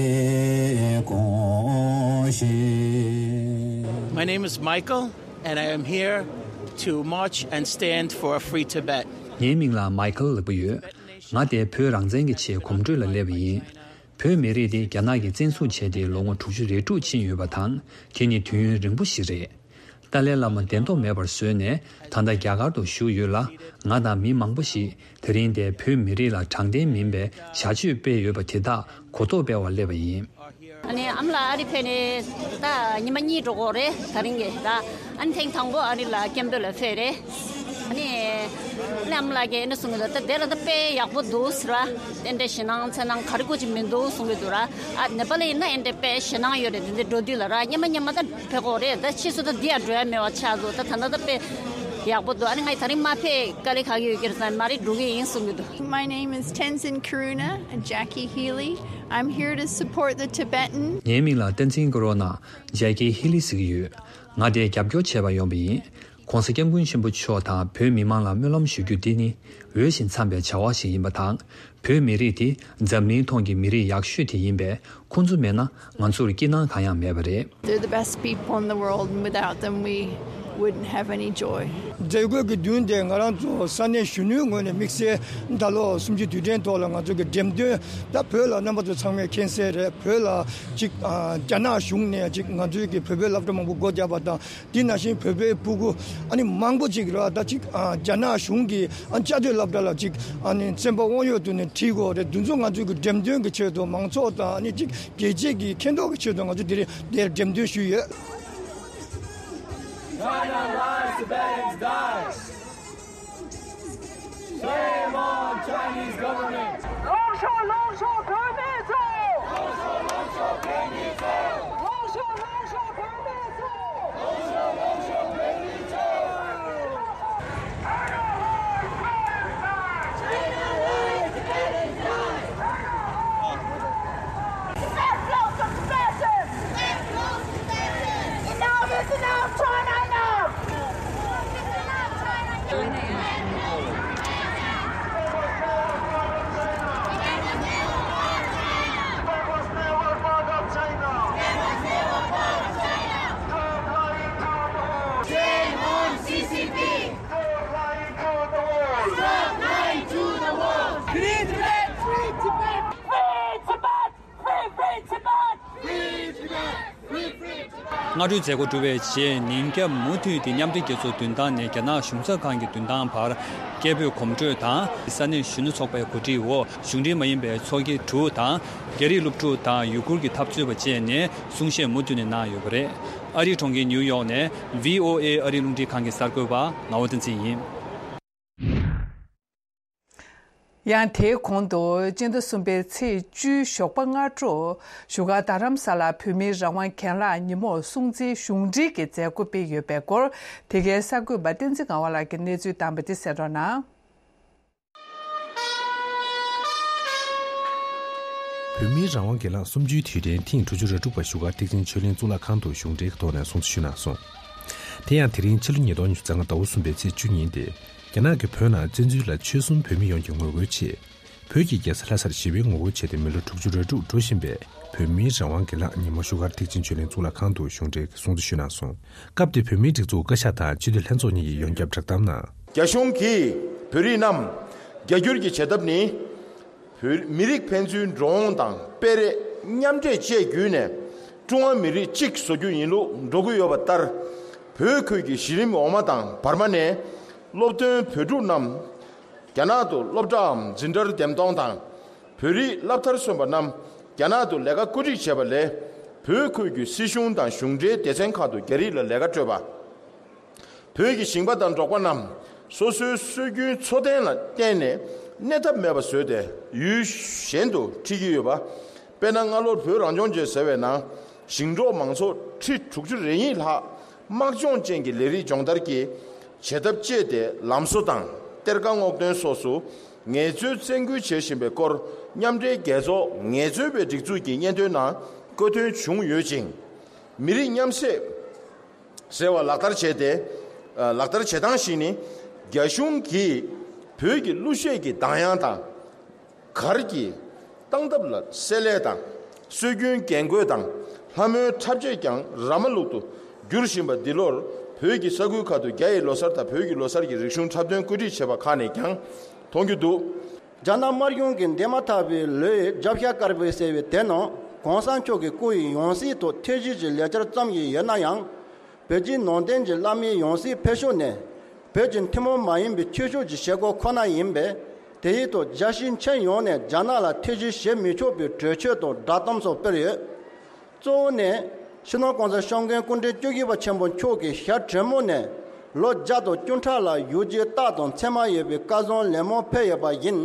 དགོངས་ཤིག My name is Michael, and I am here to march and stand for a free Tibet. ངའི་མིང་ལ་མའི་ཁལ་ལབ་ཀྱི་ཡོད། ང་དེ་བོད་རང་བཙན་གྱི་ཆེད་གོམ་བགྲོད་ལ་སླེབས་པ་ཡིན། བོད་མི་རིགས་དེ་རྒྱ་ནག་གིས་བཙན་བཟུང་བྱས་ཏེ་ལོ་ངོ་དྲུག་ཅུ་རེ་དྲུག་ཕྱིན་ཡོད་པ་དང་། དེ་ནི་དུས་ཡུན་རིང་པོ་ཞིག་རེད། ཏཱ་ལའི་བླ་མ་བདེན་ཐོག་མེད་པར་བཟོས་ནས་ད་ལྟ་རྒྱ་གར་དུ་བཞུགས་ཡོད་ལ། ང་དང་མི་མང་པོ་ཞིག་དེ་རིང་འདིར་བོད་མི་རིགས་ལ་དྲང་བདེན་མིན་པའི་བྱ་སྤྱོད་སྤེལ་ཡོད་པ་དེ་དག་གོ་རྟོགས་སྤེལ་བར་སླེབས་པ་ཡིན། ཨ་ནི་ཨ་མ་ལགས་ཨ་རི་ཕེབས་ནས་ད་ཉི་མ་གཉིས་འགྲོ་གི་རེད། ད་རིང་གི་ད། ཨ་ནི་ཐེངས་དང་པོ་ཨ་རི་ལ་སྐད་འབོད་ལ་ཕེབས་རེད། ཨ་ནི་ཨ་ནི་ཨ་མ་ལགས་ཀྱིས་ཨ་ནི་གསུང་གི་འདུག་ད་དེ་ལ་ད་དཔེ་ཡག་པོ་འདུག་ཟེར་བ། ཨེ་འདྲ་ཞེད་སྣང་འཚེར་སྣང་ག་རེ་དགོས་ཀྱི་མི་འདུག་གསུང་གི་འདུག་ར། ཨ་ནེ་པ་ལི་ཡིན་ན་ཨེ་འདྲ་དཔེ་ཞེད་སྣང་ཡོད་རེད། དེ་འདྲ་འགྲོ་དུས་ལ་ར་སྙེ་མ་སྙེ་མ་ད་ཕེབས་གོ་རེད། ད་ཕྱིས་སུ་ད་འདི་ཡང་འགྲོ་ཡ་མེད་པ་ཆགས་འདུག་ད་ད་ལྟ་ད་དཔེ་ཡག་པོ་འདུག་ཨ་ནི་ང་ད་རིང་མ་ཕེབས་དཀའ་ལས་ཁག་གི་ཡོད་ཀྱི་རེད་ཟེར། མ་རེད་འགྲོ་གི་ཡིན་གསུང་གི་འདུག My name is Tenzin Kuruna, Jackie Healy. I'm here to support the Tibetan. ངའི་མིང་ལ་བསྟན་འཛིན་ཀོ་རོ་ན། ཇེ་ཀི་ཧི་ལི་ཟེར་གྱི་ཡོད། ང་དེར་རྒྱབ་སྐྱོར་བྱེད་པར་ཡོང་པ་ཡིན། ༸གོང་ས་༸སྐྱབས་མགོན་ཆེན་པོ་མཆོག་དང་བོད་མི་མང་ལ་སྨོན་ལམ་ཞུ་རྒྱུ་འདི་ནི་འོས་ཤིང་འཚམས་པའི་བྱ་བ་ཞིག་ཡིན་པ་དང་། བོད་མི་རིགས་དེ་འཛམ་གླིང་ཐོག་གི་མི་རིགས་ཡག་ཤོས་དེ་ཡིན་པས། ཁོང་ཚོ་མེད་ན་ང་ཚོར་སྐྱིད་སྣང་གང་ཡང་མེད་པ་རེད། They're the best people in the world, and without them, we wouldn't have any joy. མཛད་སྒོ་གི་མདུན་དེ་ང་རང་ཚོ་ས་གནས་གཞོན་ནུའི་ངོས་ནས་དམིགས་བསལ་ད་ལོ་གསུམ་བཅུའི་དུས་དྲན་ཐོག་ལ་ང་ཚོ་གི་འགྲེམས་སྟོན། ད་བོད་ལ་རྣམ་པ་ཚོ་ཚང་མས་མཁྱེན་གསལ་རེད། བོད་ལ་ཅིག་ཨ་རྒྱ་ནག་གཞུང་ནས་ཅིག་ང་ཚོའི་གི་བོད་པའི་སློབ་གྲྭ་མང་པོ་སྒོ་བརྒྱབ་པ་དང་། དེ་ནང་བཞིན་བོད་པའི་སྤུ་གུ་ཨ་ནི་མང་པོ་ཅིག་ར་ད་ཅིག་ཨ་རྒྱ་ནག་གཞུང་གི་ཨ་བཅའ་སྡོད་སློབ་གྲྭ་ལ་ཅིག་ཨ་ནི་བཙན་པ་དབང་ཡོད་དུ་ནས་ཁྲིད་དགོས་རེད། འདི་ཚོ་ང་ཚོའི་གི་འགྲེམས་སྟོན་གི་ཆེད་དུ་མང་ཚོགས་དང་ཨ་ནི་ཅིག་རྒྱལ་སྤྱི་གི་མཁྱེན་རྟོགས་ཀྱི་ཆེད་དུ་ང་ཚོ་དེ་རིང་འདིར་འགྲེམས་སྟོན་ཞུས་ཡོད། China lies, Tibetans die. Shame on Chinese government. 龙兄，龙兄，对面走。龙兄，龙兄，对面走。龙兄，龙兄，对面走。 Enough is enough, China enough! Shame on C C P! Stop lying to the world! Stop lying to the world! Free Tibet! Free Tibet! Free, free Tibet! Free Tibet! Free, free Tibet! སྔ་དྲོའི་མཛད་སྒོ་གྲུབ་པའི་རྗེས་ཉིན་རྒྱབ་མུ་མཐུད་དེ་མཉམ་འབྲེལ་རྒྱལ་ཚོགས་མདུན་ཐང་ནས་རྒྱ་ནག་གཞུང་ཚབ་ཁང་གི་མདུན་ཐང་བར་སྐད་འབོད་གོམ་བགྲོད་དང་། ས་གནས་གཞོན་ནུ་ཚོགས་པའི་གོ་སྒྲིག་འོག་གཞུང་འབྲེལ་མ་ཡིན་པའི་ཚོགས་སྒེར་དྲུག་དང་། རྒྱ་རིགས་སློབ་ཕྲུག་དང་ཡུ་གུར་གྱི་འཐབ་རྩོད་པ་བཅས་ནས་གསུང་བཤད་མུ་མཐུད་ནས་གནང་ཡོད་པ་རེད། ཨ་རིའི་གྲོང་ཁྱེར་ནིའུ་ཡོག་ནས་བྷི་ཨོ་ཨེ་ཨ་རིའི་རླུང་འཕྲིན་ཁང་གི་གསར་འགོད་པ་ངག་དབང་བསྟན་འཛིན་ཡིན། ཡང་དེའི་གོང་དུ་སྤྱི་ཟླ་གསུམ་པའི་ཚེས་བཅུའི་ཞོགས་པ་སྔ་དྲོ་བཞུགས་སྒར་རྡ་རམ་ས་ལར་བོད་མིའི་རང་དབང་གྱེན་ལངས་ཉིན་མོར་སྲུང་བརྩིའི་གཞུང་འབྲེལ་གྱི་མཛད་སྒོ་སྤེལ་ཡོད་པའི་སྐོར་དེ་གའི་གསར་འགོད་པ་བསྟན་འཛིན་ངག་དབང་ལགས་ཀྱིས་གནས་ཚུལ་བཏང་བ་དེ་གསན་རོགས་གནང་། བོད་མིའི་རང་དབང་སྒེར་ལངས་གསུམ་བཅུའི་དུས་དྲན་ཐེངས་དྲུག་ཅུ་རེ་དྲུག་པ་བཞུགས་སྒར་ཐེག་ཆེན་ཆོས་གླིང་གཙུག་ལག་ཁང་དུ་གཞུང་འབྲེལ་གྱི་ཐོག་ནས་སྲུང་བརྩི་ཞུས་གནང་སོང་། དེ་ཡང་དེ་རིང་ཕྱི་ལོ་ཉིས་སྟོང་ཉི་ཤུ་རྩ་ལྔ་ཟླ་བ་གསུམ་པའི་ཚེས་བཅུ་ཉིན་ཏེ། རྒྱ་ནག་གིས་བོད་ནང་བཙན་འཛུལ་ལ་ཆོལ་གསུམ་བོད་མི་ཡོངས་ཀྱིས་ངོ་རྒོལ་ཆེད། བོད་ཀྱི་རྒྱལ་ས་ལྷ་སར་ཞི་བའི་ངོ་རྒོལ་བྱས་ཏེ་མི་ལོ་དྲུག་ཅུ་རེ་དྲུག་འགྲོ་བཞིན་པའི་བོད་མིའི་རང་དབང་སྒེར་ལངས་ཉིན་མོ་བཞུགས་སྒར་ཐེག་ཆེན་ཆོས་གླིང་གཙུག་ལག་ཁང་དུ་གཞུང་འབྲེལ་གྱི་སྲུང་བརྩི་ཞུས་གནང་སོང་། སྐབས་དེར་བོད་མིའི་སྒྲིག་འཛུགས་བཀའ་ཤག་དང་སྤྱི་འཐུས་ལྷན་ཚོགས་གཉིས་ཀྱིས་ཡོངས་ཁྱབ་བསྒྲགས་གཏམ་ནང་། རྒྱ་གཞུང་གིས་བོད་རིགས་རྣམས་རྒྱ་སྒྱུར་གྱི་བྱེད་ཐབས་ནི། བོད་མི་རིགས་ཕན་ཚུན་འགྲོ་འོང་དང་སྤེལ་རེས་མཉམ་འདྲེས་བཅས་བརྒྱུད་ནས། ཀྲུང་ཧྭ་མི་རིགས་གཅིག་བཟོ་རྒྱུ་ཡིན་ལུགས་འགྲོ་གི་ཡོད་པ་ལྟར། བོད་ཁུལ་གྱི་གཞི་རིམ་འོག་མ་དང་བར་མ་ནས་སློབ་ཐོན་བོད་ཕྲུག་རྣམས་རྒྱ་ནག་ཏུ་སློབ་གྲྭའམ་འཛིན་གྲྭར་འདེམས་གཏོང་དང་། བོད་རིགས་སློབ་མཐར་སོན་པ་རྣམས་རྒྱ་ནག་ཏུ་ལས་ཀ་བཀོད་སྒྲིག་བྱས་པ་ལས། བོད་ཁུལ་གྱི་སྲིད་གཞུང་དང་གཞུང་འབྲེལ་སྡེ་ཚན་ཁག་ཏུ་རྒྱ་རིགས་ལ་ལས་ཀ་སྤྲོད་པ། བོད་ཀྱི་ཞིང་པ་དང་འབྲོག་པ་རྣམས་སོ་སོའི་སྲོལ་རྒྱུན་འཚོ་རྟེན་ལ་བརྟེན་ནས་གནས་ཐབས་མེད་པ་བཟོས་ཏེ་ཡུལ་གཞན་དུ་ཁྲིད་ཀྱི་ཡོད་པ། དཔེར་ན། སྔ་ལོར་བོད་རང་སྐྱོང་ལྗོངས་ཟེར་བའི་ནང་ཞིང་འབྲོག་མང་ཚོགས་ཁྲི་དྲུག་ཅུ་རེ་གཉིས་ལྷག་དམག་སྦྱོང་ཅན་གྱི་ལས་རིགས་སྦྱོང་བརྡར་གྱི་བྱེད་ཐབས་སྤྱད་དེ་ལམ་བཟོ་དང་གཏེར་ཁ་སྔོག་འདོན་སོགས་སུ་ངལ་རྩོལ་བཙན་སྐུལ་བྱེད་བཞིན་པའི་སྐོར་མཉམ་འབྲེལ་རྒྱལ་ཚོགས་ངལ་རྩོལ་པའི་སྒྲིག་འཛུགས་ཀྱི་སྙན་ཐོའི་ནང་བཀོད་དོན་བྱུང་ཡོད་ཅིང་། མི་རིགས་མཉམ་བསྲེས་ཟེར་བ་ལག་བསྟར་བྱས་ཏེ། ལག་བསྟར་བྱེད་སྟངས་ཤིག་ནི། རྒྱ་གཞུང་གིས་བོད་ཀྱི་གླུ་གཞས་ཀྱི་གདངས་དབྱངས་དང་། གར་གྱི་སྟངས་སྟབས་ལ་བསྲེ་ལྷད་དང་། སྲོལ་རྒྱུན་རྒྱན་གོས་དང་ལྷ་མོའི་འཁྲབ་ཆས་ཀྱང་ར་མ་ལུག་ཏུ་བསྒྱུར་བཞིན་པ་འདི་ལོར་བོད་ཀྱི་ས་ཁུལ་ཁག་ཏུ་རྒྱ་ཡི་ལོ་གསར་དང་བོད་ཀྱི་ལོ་གསར་གྱི་རིག་གཞུང་འཁྲབ་སྟོན་བཀོད་སྒྲིག་བྱས་པ་ཁག་ནས་ཀྱང་མཐོང་རྒྱུ་འདུག། རྒྱ་ནག་དམར་གཞུང་གིས་འདས་མ་ཐག་པའི་ལོའི་རྒྱབ་ཤ་དཀར་པོའི་ཟེར་བའི་དེ་ནང་གོང་ས་མཆོག་གི་སྐུ་ཡི་ཡང་སྲིད་དུ་ཐེངས་བཞི་ཅིག་ལས་བཅར་བརྩམས་ཀྱི་ཡོད་ན་ཡང་། བོད་ཀྱི་ནང་བསྟན་གྱི་བླ་མའི་ཡང་སྲིད་ཕེབས་ཕྱོགས་ནས་བོད་ཀྱི་ཐུན་མོང་མ་ཡིན་པའི་ཆོས་ཕྱོགས་ཀྱི་བྱེད་སྒོ་ཁོ་ན་ཡིན་པས། དེ་ཡིན་དུས་རྒྱལ་སྤྱིའི་ཁྱོན་ཡོངས་ནས་རྒྱ་ནག་ལ་ཐེ་བྱུས་བྱེད་མི་ཆོག་པའི་གྲོས་ཆོད་དང་བསྒྲགས་གཏམ་སོགས་སྤེལ་ཡོད། གཙོ་བོ་ནི། སྤྱི་ནོར་༸གོང་ས་༸སྐྱབས་མགོན་སྐུ་ཕྲེང་བཅུ་བཞི་པ་ཆེན་པོ་མཆོག་གིས་ཞྭ་དྲོན་མོ་ནས་ལོ་བརྒྱ་དང་བཅུ་ཕྲག་ལ་བཞུགས་རྒྱུའི་རྟགས་དང་མཚན་མ་ཡོད་པའི་བཀའ་བཟང་ལན་མང་ཕེབས་ཡོད་པ་ཡིན།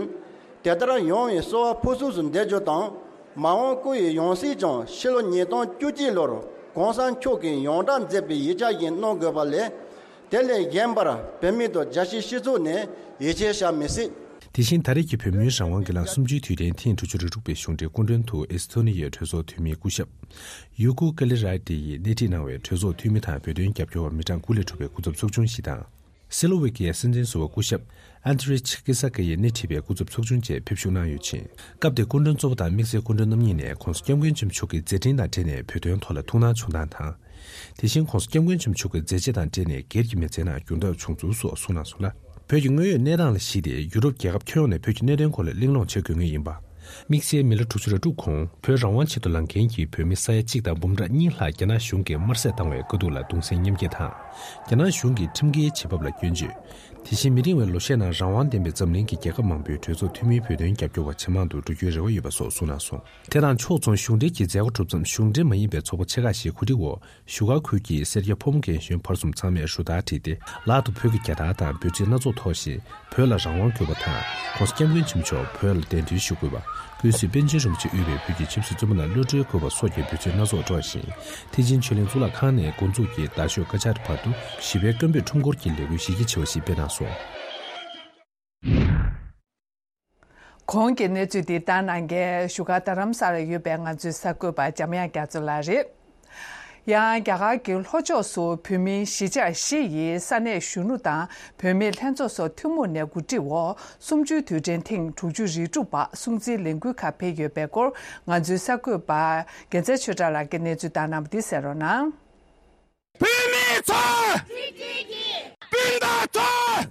དེ་ལྟར་ཡོང་བའི་གསོལ་བ་ཕུར་ཚུགས་སུ་འདེབས་རྒྱུ་དང་། མ་འོངས་སྐུ་ཡི་ཡང་སྲིད་ཀྱང་ཕྱི་ལོ་ཉིས་སྟོང་བཅུ་གཅིག་ལོར་༸གོང་ས་མཆོག་གིས་ཡོངས་བསྒྲགས་མཛད་པའི་ཡིག་ཆ་བཞིན་གནང་དགོས་པ་ལས། དེ་ལས་གཞན་པར་བོད་མི་དང་རྒྱལ་སྤྱིའི་སྤྱི་ཚོགས་ནས་ཡིད་ཆེས་བྱ་མི་སྲིད། དེ་བཞིན་ད་རེས་ཀྱི་བོད་མིའི་རང་དབང་སྒེར་ལངས་གསུམ་བཅུའི་དུས་དྲན་ཐེངས་དྲུག་ཅུ་རེ་དྲུག་པའི་གཞུང་འབྲེལ་སྐུ་མགྲོན་དུ་ཨེ་སི་ཐོ་ནི་ཡའི་གྲོས་ཚོགས་འཐུས་མི་སྐུ་ཞབས་ཡུ་ཀུ་ཀ་ལི་ར་ཏི་ཡིས་སྣེ་ཁྲིད་གནང་བའི་གྲོས་ཚོགས་འཐུས་མི་དང་བོད་དོན་རྒྱབ་སྐྱོར་བ་མི་གྲངས་དགུ་ལས་གྲུབ་པའི་སྐུ་ཚབ་ཚོགས་ཆུང་ཞིག་དང་། སི་ལོ་ཝེ་ཀི་ཡའི་སྲིད་འཛིན་ཟུར་པ་སྐུ་ཞབས་ཨན་ཏི་རེ་ཆི་ཀི་ས་ཀེ་ཡིས་སྣེ་ཁྲིད་པའི་སྐུ་ཚབ་ཚོགས་ཆུང་བཅས་ཕེབས་བཞུགས་གནང་ཡོད་ཅིང་། སྐབས་དེར་སྐུ་མགྲོན་གཙོ་བོ་དང་དམིགས་བསལ་སྐུ་མགྲོན་རྣམ་གཉིས་ནས་༸གོང་ས་༸སྐྱབས་མགོན་ཆེན་པོ་མཆོག་གི་མཛད་འཕྲིན་དང་འབྲེལ་ནས་བོད་དོན་ཐོག་ལ་ཐུགས་སྣང་བྱུང་སྟངས་དང་། དེ་བཞིན་༸གོང་ས་༸སྐྱབས་མགོན་ཆེན་པོ་མཆོག་གི་མཛད་རྗེས་དང་འབྲེལ་ནས་སྒེར་གྱི་མི་ཚེའི་ནང་གྱོང་གུད་བྱུང་ཚུལ་སོགས་གསུངས་གནང་སོང་ལ། བོད་ཀྱི་དངོས་ཡོད་གནས་སྟངས་ལ་གཞིགས་ཏེ་ཡུ་རོབ་རྒྱལ་ཁབ་ཁྱོན་ཡོངས་ནས་བོད་ཀྱི་གནད་དོན་སྐོར་ལ་གླེང་སློང་བྱེད་དགོས་ངེས་ཡིན་པ། དམིགས་བསལ་མི་ལོ་དྲུག་ཅུ་རེ་དྲུག་གོང་བོད་རང་དབང་ཆེད་དུ་ལངས་མཁན་གྱི་བོད་མི་ས་ཡ་གཅིག་དང་འབུམ་ཕྲག་གཉིས་ལྷག་རྒྱ་ནག་གཞུང་གིས་དམར་གསོད་བཏང་བའི་དཀའ་སྡུག་ལ་གདུང་སེམས་མཉམ་སྐྱེད་དང་། རྒྱ་ནག་གཞུང་གིས་ཁྲིམས་འགལ་བྱེད་བབ་ལ་སྐྱོན་བརྗོད། དེ་བཞིན་མི་རིང་བའི་ལོ་ཤས་ནང་རང་དབང་ལྡན་པའི་འཛམ་གླིང་གི་རྒྱལ་ཁབ་མང་པོའི་གྲོས་ཚོགས་འཐུས་མིའི་བོད་དོན་རྒྱབ་སྐྱོར་བ་ཇེ་མང་དུ་འགྲོ་རྒྱུའི་རེ་བ་ཡོད་པ་སོགས་གསུངས་གནང་སོང་། དེ་དང་ཕྱོགས་མཚུངས་གཞུང་འབྲེལ་གྱི་མཛད་སྒོ་གྲུབ་མཚམས་གཞུང་འབྲེལ་མ་ཡིན་པའི་ཚོགས་པ་ཆེ་ཁག་ཞིག་གོ་སྒྲིག་འོག་བཞུགས་སྒར་ཁུལ་གྱི་སེར་སྐྱ་ཕོ་མོ་རྒན་གཞོན་བར་གསུམ་ཚང་མས་རུ་སྟར་བསྒྲིགས་ཏེ་ལག་ཏུ་བོད་ཀྱི་རྒྱལ་དར་དང་འབོད་ཚིག་སྣ་ཚོགས་ཐོགས་ཤིང་། བོད་ལ་རང་དབང་དགོས་པ་དང་༸གོང་ས་༸སྐྱབས་མགོན་ཆེན་པོ་མཆོག་བོད་ལ་གདན་འདྲེན་ཞུ་དགོས་པ། ཀུན་གཟིགས་པཎ་ཆེན་རིན་པོ་ཆེ་དབུས་པའི་བོད་ཀྱི་ཆབ་སྲིད་བཙོན་པ་རྣམས་གློད་བཀྲོལ་དགོས་པ་སོགས་ཀྱི་འབོད་ཚིག་སྣ་ཚོགས་སྒྲོག་ཅིང་། ཐེག་ཆེན་ཆོས་གླིང་གཙུག་ལག་ཁང་ནས་འགོ་འཛུགས་ཀྱིས་རྡ་ཤོད་ཀ་ཆ་རི་བར་དུ་ཞི་བའི་རྐང་པས་ཁྲོམ་སྐོར་གྱི་ལས་འགུལ་གཞི་རྒྱ་ཆེ་བ་ཞིག་སྤེལ་གནང་སོང་། གོང་གི་གནས་ཚུལ་འདི་ལྟ་གནང་མཁན་བཞུགས་སྒར་རྡ་རམ་ས་ལར་ཡོད་པའི་ང་ཚོའི་གསར་འགོད་པ་འཇམ་དབྱངས་རྒྱ་མཚོ་ལགས་རེད། ཡང་རྒྱ་གར་གྱི་ལྷོ་ཕྱོགས་སུ་བོད་མིའི་གཞིས་ཆགས་བཞི་ཡི་ས་གནས་གཞོན་ནུ་དང་བུད་མེད་ལྷན་ཚོགས་སོགས་ཐུན་མོང་ནས་གོ་སྒྲིག་འོག་གསུམ་བཅུའི་དུས་དྲན་ཐེངས་དྲུག་ཅུ་རེ་དྲུག་པ་སྲུང་བརྩིའི་ལས་འགུལ་ཁག་སྤེལ་ཡོད་པའི་སྐོར་ང་ཚོའི་གསར་འགོད་པ་རྒྱལ་མཚན་ཆོས་གྲགས་ལགས་ཀྱིས་གནས་ཚུལ་བཏང་གནང་བ་འདི་གསན་རོགས་གནང་། བོད་མི་ཚོ། སྤུན་ཟླ་ཚོ།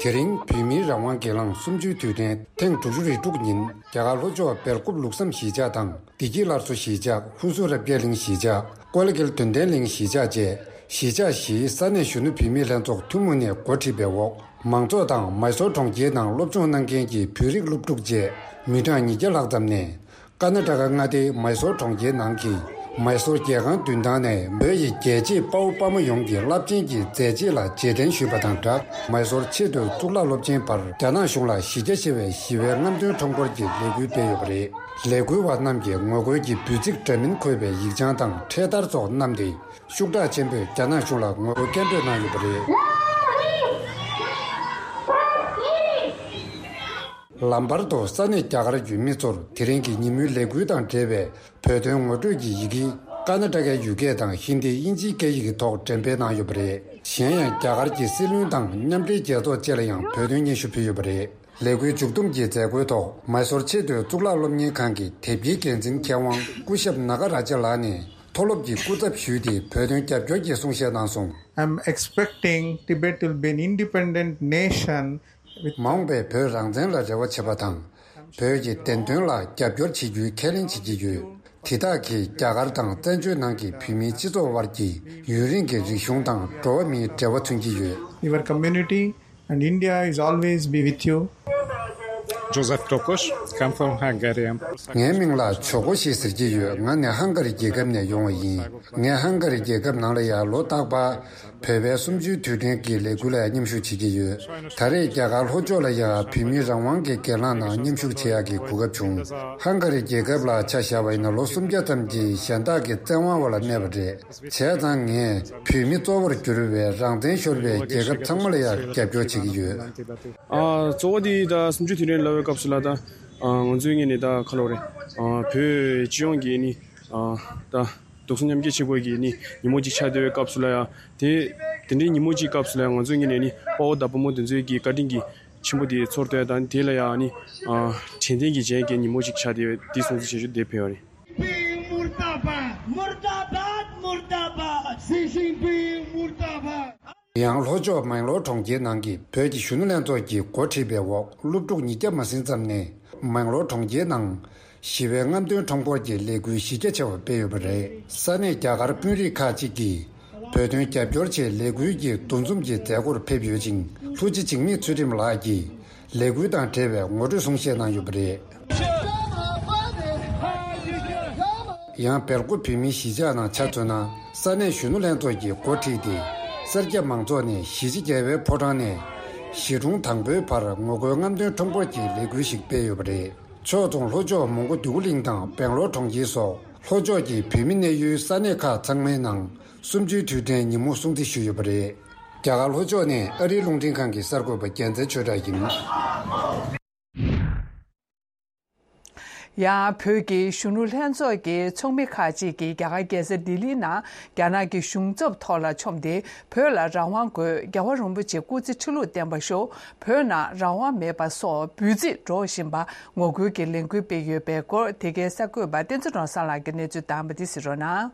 དེ་རིང་བོད་མིའི་རང་དབང་སྒེར་ལངས་གསུམ་བཅུའི་དུས་དྲན་ཐེངས་དྲུག་ཅུ་རེ་དྲུག་ཉིན་རྒྱ་གར་ལྷོ་ཕྱོགས་སྦེལ་ཀོབ་ལུགས་བསམ་གཞིས་ཆགས་དང་བདེ་སྐྱིད་སླར་གསོ་གཞིས་ཆགས། ཧུ་སུར་རབ་རྒྱས་གླིང་གཞིས་ཆགས། ཀོ་ལི་གྷལ་དོན་ལྡན་གླིང་གཞིས་ཆགས་བཅས་གཞིས་ཆགས་བཞིའི་ས་གནས་གཞོན་ནུ་བུད་མེད་ལྷན་ཚོགས་ཐུན་མོང་ནས་འགོ་ཁྲིད་པའི་འོག་མང་ཚོགས་དང་མའི་སོར་གྲོང་ཁྱེར་ནང་སློབ་སྦྱོང་གནང་མཁན་གྱི་བོད་རིགས་སློབ་ཕྲུག་བཅས་མི་གྲངས་ཉིས་བརྒྱ་ལྷག་ཙམ་ནས། ཀར་ན་ཊ་ཀ་མངའ་སྡེའི་མའི་སོར་གྲོང་ཁྱེར་ནང་གི་མའི་སོར་རྒྱལ་ཁང་མདུན་ཐང་ནས་བོད་ཡི་རྒྱལ་གཅེས་དཔའ་བོ་དཔའ་མོ་ཡོངས་ཀྱི་རླབས་ཆེན་གྱི་མཛད་རྗེས་ལ་རྗེས་དྲན་ཞུས་པ་དང་སྦྲགས། མའི་སོར་ཆེས་མཐོའི་གཙུག་ལག་སློབ་ཆེན་བར་རྒྱ་ནག་གཞུང་ལ་གཞི་རྒྱ་ཆེ་བའི་ཞི་བའི་རྔམ་སྟོན་ཁྲོམ་སྐོར་གྱི་ལས་འགུལ་སྤེལ་ཡོད་པ་རེད། ལས་འགུལ་བ་རྣམས་ཀྱིས་ངོ་རྒོལ་གྱི་འབོད་ཚིག་འདྲ་མིན་འཁོད་པའི་ཡིག་བྱང་དང་འཕྲེད་དར་སོགས་བསྣམས་ཏེ། ཤུགས་དྲག་ཆེན་པོས་རྒྱ་ནག་གཞུང་ལ་ངོ་རྒོལ་སྐད་འབོད་གནང་ཡོད་པ་རེད། ལམ་བར་དུ་ས་གནས་རྒྱ་གར་གྱི་མི་ཚོར་དེ་རིང་གི་ཉིན་མོའི་ལས་འགུལ་དང་འབྲེལ་བའི་བོད་དོན་ངོ་སྤྲོད་ཀྱི་ཡི་གེ་ཀར་ན་ཊ་ཀའི་ཡུལ་སྐད་དང་ཧིན་དི་དབྱིན་ཇིའི་སྐད་ཡིག་གི་ཐོག་འགྲེམས་སྤེལ་གནང་ཡོད་པ་རེད། གཞན་ཡང་རྒྱ་གར་གྱི་སྲིད་བློན་དང་མཉམ་འབྲེལ་རྒྱལ་ཚོགས་བཅས་ལ་ཡང་བོད་དོན་སྙན་ཞུ་ཕུལ་ཡོད་པ་རེད། ལས་འགུལ་མཇུག་བསྡོམས་ཀྱི་མཛད་སྒོའི་ཐོག་མའི་སོར་ཆེས་མཐོའི་གཙུག་ལག་སློབ་གཉེར་ཁང་གི་དེབ་སྐྱེལ་འགན་འཛིན་མཁས་དབང་སྐུ་ཞབས་ན་ག་ར་ཇ་ལགས་ནས། མཐོ་སློབ་ཀྱི་སྐུ་ཚབ་ཞུས་ཏེ་བོད་དོན་རྒྱབ་སྐྱོར་གྱི་གསུང་བཤད་གནང་སོང་། I'm expecting Tibet will be an independent nation with མ་འོངས་པའི་བོད་རང་བཙན་ལ་རེ་བ་བྱེད་པ་དང་། བོད་ཀྱི་བདེན་དོན་ལ་རྒྱབ་སྐྱོར་བྱེད་རྒྱུའི་ཁས་ལེན་བྱེད་ཀྱི་ཡོད། དེ་དག་གིས་རྒྱ་གར་དང་བཙན་བྱོལ་ནང་གི་བོད་མིའི་སྤྱི་ཚོགས་དབར་གྱི་ཡུན་རིང་གི་རིག་གཞུང་དང་འགྲོ་བ་མིའི་འབྲེལ་བ་མཚོན་གྱི་ཡོད། Your community and India is always be with you. Joseph Tokos, come from Hungary. ངའི་མིང་ལ་ཇོ་ཀོ་ཤི་ཟེར་གྱི་ཡོད། ང་ནི་ཧང་ག་རི་རྒྱལ་ཁབ་ནས་ཡོང་བ་ཡིན། ངས་ཧང་ག་རི་རྒྱལ་ཁབ་ནང་ལ་ཡང་ལོ་རྟག་པར་བོད་པའི་གསུམ་བཅུའི་དུས་དྲན་གྱི་ལས་འགུལ་ལ་མཉམ་ཞུགས་བྱེད་ཀྱི་ཡོད། ད་རེས་རྒྱ་གར་ལྷོ་ཕྱོགས་ལ་ཡང་བོད་མིའི་རང་དབང་གི་སྒེར་ལངས་ནང་མཉམ་ཞུགས་བྱེད་ཡག་གི་གོ་སྐབས་བྱུང་། ཧང་ག་རི་རྒྱལ་ཁབ་ལ་ཆ་བཞག་པ་ཡིན་ན་ལོ་སུམ་བརྒྱ་ཙམ་གྱི་གཞན་དག་གི་བཙན་དབང་འོག་ལ་གནས་པ་རེད། བྱས་ཙང་ངས་བོད་མི་གཙོ་བོར་གྱུར་པའི་རང་བཙན་ཤོར་བའི་རྒྱལ་ཁབ་ཚང་མ་ལ་ཡང་རྒྱབ་སྐྱོར་བྱེད་ཀྱི་ཡོད། ཨ། གཙོ་བོ་དེ་ད་གསུམ་བཅུའི་དུས་དྲན་ལབ་པའི་སྐབས་སུ་ལ་ད། ཨ། ང་ཚོའི་ངོས་ནས་ད་ག་ལབ་རེད། ཨ། བོད་སྤྱི་ཡོངས་ཀྱི་ནི། ཨ། ད་རྡོག་རྩ་མཉམ་སྐྱེད་བྱེད་དགོས་ཀྱི་ནི་ཉིན་མོ་གཅིག་ཆགས་བསྡད་པའི་སྐབས་སུ་ལ་ཡང་དེ། དེ་འདྲའི་ཉིན་མོ་གཅིག་སྐབས་སུ་ལ་ཡང་ང་ཚོའི་ངོས་ནས་ནི་དཔའ་བོ་དང་བུ་མོ་དེ་ཚོའི་གི་བཀའ་དྲིན་གྱི་ཆེན་པོ་དེ་ཚོར་ཏེ་ད་དེ་ལ་ཡང་ནི། ཨ། དྲན་རྟེན་གྱི་རྗེས་ཀྱི་ཉིན་མོ་གཅིག་ཆགས་བསྡད་པའི་དེ་སྲུང་བརྩི་བྱེད་རྒྱུ་དེ་ཕེབས་པ་རེད། Jinping murdabad, murdabad, murdabad, Xi Jinping murdabad. ཡང་ལྷོ་ཕྱོགས་མེང་ལོར་གྲོང་ཁྱེར་ནང་གི་བོད་ཀྱི་གཞོན་ནུ་ལྷན་ཚོགས་ཀྱིས་འགོ་ཁྲིད་པའི་འོག་སློབ་ཕྲུག་ཉིས་བརྒྱ་མ་ཟིན་ཙམ་ནས་མེང་ལོར་གྲོང་ཁྱེར་ནང་ཞི་བའི་རྔམ་སྟོན་ཁྲོམ་སྐོར་གྱི་ལས་འགུལ་གཞི་རྒྱ་ཆེ་བ་སྤེལ་ཡོད་པ་རེད། ས་གནས་རྒྱ་གར་དཔོན་རིགས་ཁག་ཅིག་གིས་བོད་དོན་རྒྱབ་སྐྱོར་ཆེད་ལས་འགུལ་གྱི་འདུ་འཛོམས་ཀྱི་མཛད་སྒོར་ཕེབས་ཡོད་ཅིང་། ལྷུན་རྩེ་འཇིགས་མེད་ཚུལ་ཁྲིམས་ལགས་ཀྱིས་ལས་འགུལ་དང་འབྲེལ་བའི་ངོ་སྤྲོད་གསུང་བཤད་གནང་ཡོད་པ་རེད། ཡང་སྦེལ་ཀོབ་བོད་མིའི་གཞིས་ཆགས་ནང་ཆ་མཚོན་ན། ས་གནས་གཞོན་ནུ་ལྷན་ཚོགས་ཀྱིས་འགོ་ཁྲིད་དེ། སེར་སྐྱ་མང་ཚོགས་ནས་གཞིས་བྱེས་རྒྱལ་བའི་ཕོ་བྲང་ནས་གཞིས་གྲོང་དང་པོའི་བར་ངོ་རྒོལ་རྔམ་སྟོན་ཁྲོམ་སྐོར་གྱི་ལས་འགུལ་ཞིག་སྤེལ་ཡོད་པ་རེད། ཕྱོགས་མཚུངས་ལྷོ་ཕྱོགས་མོན་གྷོ་འདོད་རྒུ་གླིང་དང་སྦེང་ལོར་གྲོང་ཁྱེར་སོགས་ལྷོ་ཕྱོགས་ཀྱི་བོད་མི་གནས་ཡུལ་ས་གནས་ཁག་ཚང་མའི་ནང་གསུམ་བཅུའི་དུས་དྲན་ཉིན་མོ་སྲུང་བརྩི་ཞུས་ཡོད་པ་རེད། རྒྱ་གར་ལྷོ་ཕྱོགས་ནས་ཨ་རིའི་རླུང་འཕྲིན་ཁང་གི་གསར་འགོད་པ་རྒྱལ་མཚན་ཆོས་གྲགས་ཡིན། ཡང་བོད་ཀྱི་གཞོན་ནུ་ལྷན་ཚོགས་ཀྱི་ཚོགས་མི་ཁག་ཅིག་གིས་རྒྱ་གར་རྒྱལ་ས་ལྡི་ལིའི་ནང་རྒྱ་ནག་གི་གཞུང་ཚབ་ཐོག་ལ་མཆོངས་ཏེ། བོད་ལ་རང་དབང་དགོས། རྒྱལ་བ་རིན་པོ་ཆེ་སྐུ་ཚེ་ཁྲི་ལོར་བརྟན་པར་ཤོག་བོད་ནང་རང་དབང་མེད་པ་སོགས་འབོད་ཚིག་སྒྲོག་བཞིན་པ་ངོ་རྒོལ་གྱི་ལས་འགུལ་སྤེལ་ཡོད་པའི་སྐོར། དེ་གའི་གསར་འགོད་པ་བསྟན་འཛིན་རོང་བཟང་ལགས་ཀྱིས་གནས་ཚུལ་བཏང་བ་འདི་གཟིགས་རོགས་གནང་།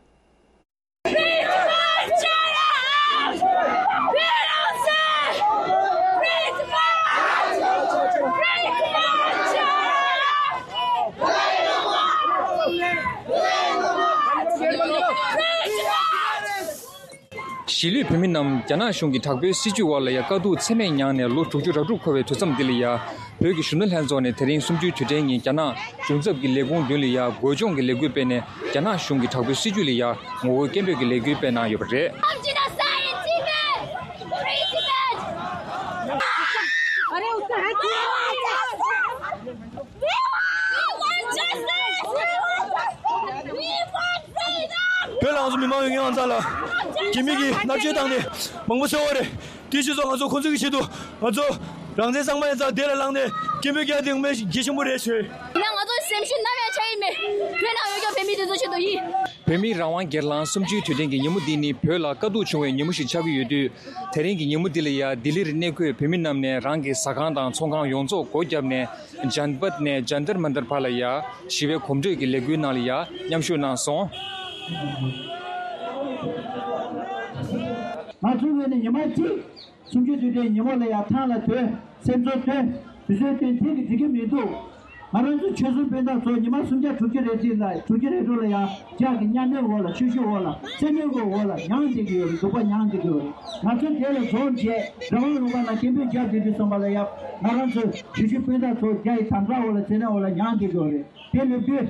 གཞིས་ལུས་བོད་མི་རྣམས་རྒྱ་ནག་གཞུང་གི་དྲག་པོའི་སྲིད་བྱུས་འོག་ལ་ཡ་དཀའ་སྡུག་ཚད་མེད་མྱངས་ནས་ལོ་དྲུག་ཅུ་རེ་དྲུག་འཁོར་བའི་དུས་མཚམས་འདི་ལ་ཡ། བོད་ཀྱི་གཞོན་ནུ་ལྷན་ཚོགས་ནས་དེ་རིང་གསུམ་བཅུའི་དུས་དྲན་ཉིན་རྒྱ་ནག་གཞུང་ཚབ་ཀྱི་ལས་ཁུངས་མདུན་ལ་ཡ་འགོ་སྦྱོང་གི་ལས་འགུལ་སྤེལ་ནས། རྒྱ་ནག་གཞུང་གི་དྲག་པོའི་སྲིད་བྱུས་ལ་ཡ་ངོ་རྒོལ་སྐད་འབོད་ཀྱི་ལས་འགུལ་སྤེལ་གནང་ཡོད་པ་རེད། བོད་ལ་ང་ཚོ་མི་མང་ཡོད་མཁན་ང་ཚོ་ལ་སྐྱེ་མེད་ཀྱི་མནར་གཅོད་བཏང་ནས་མང་པོ་བཟོས་པ་རེད། དེ་ཕྱིས་སུ་ང་ཚོ་ཁོང་ཚོ་གི་ཆེད་དུ་ང་ཚོ་རང་བཙན་གཙང་མ་ཡིན་ཙང་དེ་ལ་ལངས་ནས་སྐད་འབོད་རྒྱག་དེ་ངོ་མ་གལ་ཆེན་པོ་རེད་ཞུ། ཡིན་ན་ང་ཚོ་སེམས་ཤུགས་ནམ་ཡང་ཆག་གི་མེད། བོད་ནང་ཡོད་ཀྱང་བོད་མི་དེ་ཚོ་ཆེད་དུ་ཡིན། བོད་མིའི་རང་དབང་སྒེར་ལངས་གསུམ་བཅུའི་དུས་དྲན་གྱི་ཉིན་མོ་འདི་ནི་བོད་ལ་དཀའ་སྡུག་བྱུང་བའི་ཉིན་མོ་ཞིག་ཆགས་ཀྱི་ཡོད་དུས། དེ་རིང་གི་ཉིན་མོ་འདི་ལ་ཡ་ལྡི་ལིར་གནས་འཁོད་བོད་མི་རྣམས་ནས་རང་གི་ཟ་ཁང་དང་ཚོང་ཁང་ཡོངས་རྫོགས་སྒོ་བརྒྱབ་ནས། ཇན་པད་ནས་ཇན་ཏར་མན་ཏར་བར་ལ་ཡ་ཞི་བའི་གོམ་བགྲོད་ཀྱི་ལས་འགུལ་ནང་ལ་ཡ་མཉམ་ཞུགས་གནང་སོང་། ང་ཚོའི་ངོས་ནས་ཉི་མ་གཅིག་གསུམ་བཅུའི་དུས་དྲན་ཉིན་མོ་ལ་ཡ་ཐང་ལ་སྡོད། སེམས་ཚོར་སྟོན། དུས་ཚོད་སྟོན་དེ་གི་འགྲིག་གི་མི་འདུག་ང་རང་ཚོ་ཆོལ་གསུམ་སྤུན་ཟླ་ཚོ་ཉི་མ་སུམ་བརྒྱ་དྲུག་ཅུ་རེ་གཅིག་ལ་དྲུག་ཅུ་རེ་དྲུག་ལ་ཡང་ལྗགས་ཀྱི་གཉའ་གནོན་འོག་ལ་ཆོས་ཞུགས་འོག་ལ་བཙན་གནོན་གྱི་འོག་ལ་མྱངས་བསྡད་ཀྱི་ཡོད་རེད། སྡུག་པ་མྱངས་བསྡད་ཀྱི་ཡོད་རེད། ང་ཚོ་དེ་ལ་འཛོམས་བྱས་རང་དབང་ལུང་པ་ནང་སྐད་འབོད་བརྒྱབ་བསྡད་དུས་ཙམ་པ་ལ་ཡང་ང་རང་ཚོ་ཆོས་ཞུགས་སྤུན་ཟླ་ཚོ་རྒྱ་ཡི་དམ་དྲག་འོག་ལ་བཙན་གནོན་འོག་ལ་མྱངས་བསྡད་ཀྱི་ཡོད་རེད། དེ་ལབ་དུས་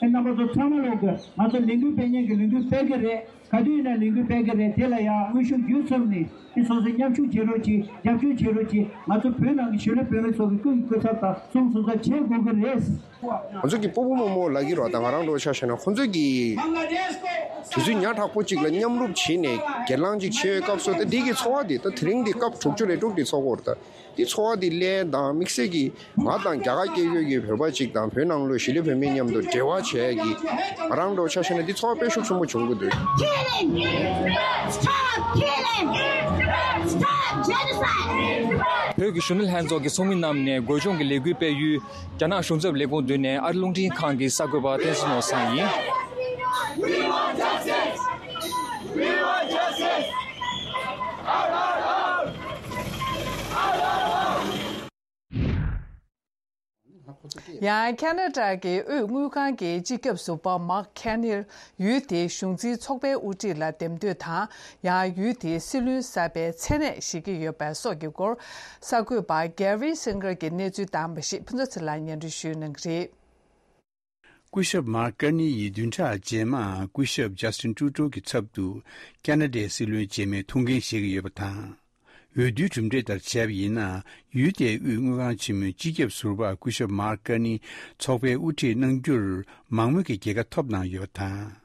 ཨེ་རྣམ་པ་ཚོ་ཚང་མ་ལོག་གི་ང་ཚོ་ལས་འགུལ་སྤེལ་མཁན་གྱི་ལས་འགུལ་སྤེལ་གྱི་རེད། ག་དུས་ཡིན་ན་ལས་འགུལ་སྤེལ་གྱི་རེད། དེ་ལ་ཡང་དངོས་ཤུགས་བརྒྱུད་གསུམ་ནས་ཨི་སོ་སོས་མཉམ་ཞུགས་བྱེད་རོགས་གྱིས། རྒྱབ་སྐྱོར་བྱེད་རོགས་གྱིས། ང་ཚོ་བོད་ནང་གི་གཞིས་ལུས་བོད་མི་ཚོ་གི་སྐུ་ཡི་སྐུ་ཚབ་དང་གསུང་གསུང་ཚབ་བྱེད་དགོས་ཀྱི་རེད། ང་ཚོ་གི་སྤོ་བོ་རྨོ་མོ་ལབ་ཀྱི་རེད་པ། ད་ང་རང་འདྲ་བོ་ཆ་བཞག་ན་ཁོང་ཚོས་ཀྱི་དུས་ཚོད་ཉག་ཕྲ་པོ་གཅིག་ལ་མཉམ་རུབ་བྱས་ནས་སྒེར་ལངས་གཅིག་བྱེད་ཡོད་སྐབས་སུ། ད་འདི་གི་ཚོར་བ་འདི་ད་དེ་རིང་འདི་སྐབས་དྲུག་ཅུ་རེ་དྲུག་འདི་ཚོར་གྱི་ཡོད་རེད། ད། དེ་ཚོར་བ་དེ་ལེན་དང་དམིགས་བསལ་གྱིས་ང་དང་རྒྱ་གར་སྐད་ཡོད་ཀྱི་བོད་པ་གཅིག་དང་བོད་ནང་ལོགས་གཞིས་ལུས་བོད་མི་མཉམ་དུ་འབྲེལ་བ་བྱེད་ཡ་གི་ང་རང་འདྲ་བོ་ཆ་བཞག་ན་དེ་ཚོར་བ་དཔེ་ཤུགས་ཆེན་པོ་བྱུང་གི་འདུག Killing! Stop killing! Stop genocide! བོད་ཀྱི་གཞོན་ནུ་ལྷན་ཚོགས་ཀྱི་ཚོགས་མི་རྣམས་ནས་དགོས་སྦྱོང་གི་ལས་འགུལ་སྤེལ་ཡུལ་རྒྱ་ནག་གཞུང་ཚབ་ལས་ཁུངས་མདུན་ནས་ཨ་རི་རླུང་འཕྲིན་ཁང་གི་གསར་འགོད་པ་བསྟན་འཛིན་ནོར་བཟང་ཡིན། We want justice! We want justice! ཡང་ཁ་ན་ཌ་གི་དབུས་དངུལ་ཁང་གི་སྤྱི་ཁྱབ་ཟུར་པ་མཱག་ཁེ་ནིར་ཡུལ་དེའི་གཞུང་འཛིན་ཚོགས་པའི་དབུ་ཁྲིད་ལ་འདེམས་ཐོན་དང་། ཡང་ཡུལ་དེའི་སྲིད་བློན་གསར་པའི་མཚན་གནས་བཞེས་ཀྱི་ཡོད་པ་སོགས་ཀྱི་སྐོར། གསར་འགོད་པ་གེ་རི་སིང་གར་གྱིས་གནས་ཚུལ་བཏང་པ་ཞིག་ཕུན་ཚོགས་ཚེ་ལགས་སྙན་སྒྲོན་ཞུ་གནང་གི་རེད། སྐུ་ཞབས་མཱག་ཀར་ནི་ཡིས་བདུན་ཕྲག་རྗེས་མར་སྐུ་ཞབས་ཇ་སི་ཊིན་ཊུ་རུ་ཌོ་གི་ཚབ་ཏུ་ཁ་ན་ཌའི་སྲིད་བློན་རྗེས་མའི་ཐུགས་འགན་བཞེས་ཀྱི་ཡོད་པ་དང་། འོས་བསྡུའི་གྲུབ་འབྲས་ལྟར་བྱས་པ་ཡིན་ན། ཡུལ་དེའི་དབུས་དངུལ་ཁང་ཆེན་མོའི་སྤྱི་ཁྱབ་ཟུར་པ་སྐུ་ཞབས་མཱག་ཀར་ནི་ཚོགས་པའི་དབུ་ཁྲིད་གནང་རྒྱུར་མང་མོས་ཀྱི་རྒྱལ་ཁ་ཐོབ་གནང་ཡོད་པ་དང་།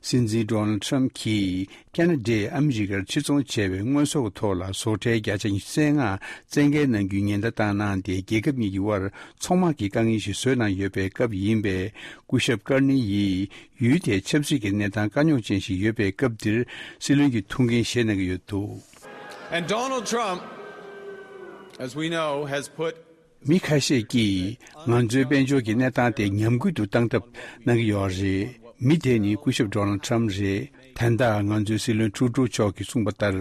སྲིད་འཛིན་ཌོ་ནལ་ཌི་ཊརམ་ཕི་གྱིས་ཁ་ན་ཌས་ཨ་མི་རི་ཀར་ཕྱིར་ཚོང་བྱས་པའི་དངོས་ཟོག་གི་ཐོག་ལ་བཟོ་གྲྭའི་བརྒྱ་ཆ་ཉི་ཤུ་རྩ་ལྔ་བཙན་འགེལ་གནང་རྒྱུའི་ཉེན་བརྡ་བཏང་གནང་སྟེ། རྒྱལ་ཁབ་གཉིས་ཀྱི་དབར་ཚང་མ་གི་དཀའ་ངལ་ཞིག་བཟོས་གནང་ཡོད་པའི་སྐབས་ཡིན་པས། སྐུ་ཞབས་ཀར་ནི་ཡིས་ཡུལ་དེའི་ཆབ་སྲིད་ཀྱི་གནས་སྟངས་དཀའ་རྙོག་ཅན་ཞིག་ཡོད་པའི་སྐབས་འདིར་སྲིད་བློན་གྱི་ཐུགས་འགན་བཞེས་གནང་གི་ཡོད་འདུག། And Donald Trump, as we know, has put མི་ཁ་ཤས་ཀྱིས་ང་ཚོའི་དཔལ་འབྱོར་གྱི་གནས་སྟངས་དེ་ཉམས་རྒུད་དུ་བཏང་ཐབས་གནང་གི་ཡོད་རེད། མི་དེ་ནི་སྐུ་ཞབས་ཌོ་ནལ་ཌི་ཊརམ་རེད། ད་ལྟ་ང་ཚོའི་སྲིད་བློན་ཊུ་རུ་ཌོ་མཆོག་གིས་གསུངས་པ་ལྟར།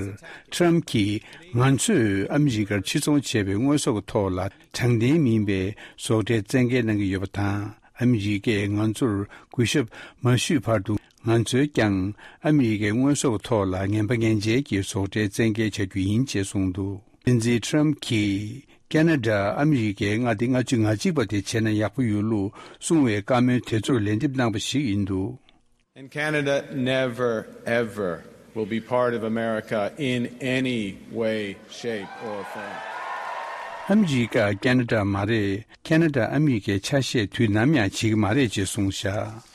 ཊརམ་གྱིས་ང་ཚོས་ཨ་མི་རི་ཀར་ཕྱིར་ཚོང་བྱས་པའི་དངོས་ཟོག་གི་ཐོག་ལ་དྲང་བདེན་མིན་པའི་བཟོ་གྲྭའི་བཙན་འགེལ་གནང་གི་ཡོད་པ་དང་། ཨ་མི་རི་ཀས་ང་ཚོར་གུས་ཞབས་མ་ཞུས་བར་དུ། ང་ཚོས་ཀྱང་ཨ་མི་རི་ཀའི་དངོས་ཟོག་གི་ཐོག་ལ་ངན་པ་ངན་འཇལ་གྱི་བཟོ་གྲྭའི་བཙན་འགེལ་བྱ་རྒྱུ་ཡིན་ཅེས་གསུངས་འདུག། སྲིད་འཛིན་ཊརམ་གྱིས་ཁ་ན་ཌ་ཨ་མི་རི་ཀའི་མངའ་སྡེ་ལྔ་བཅུ་ང་གཅིག་པ་དེ་བྱས་ན་ཡག་པོ་ཡོད་ལུགས་གསུངས་པའི་བཀའ་མོལ་དེ་ཚོར་ལན་འདེབས་གནང་པ་ཞིག་ཡིན་འདུག། And Canada never, ever will be part of America in any way, shape, or form. ཨ་མི་རི་ཀ་ཁ་ན་ཌ་མ་རེད། ཁ་ན་ཌ་ཨ་མི་རི་ཀའི་ཆ་ཤས་དུས་ནམ་ཡང་བྱེད་ཀྱི་མ་རེད་ཅེས་གསུངས་བཞག།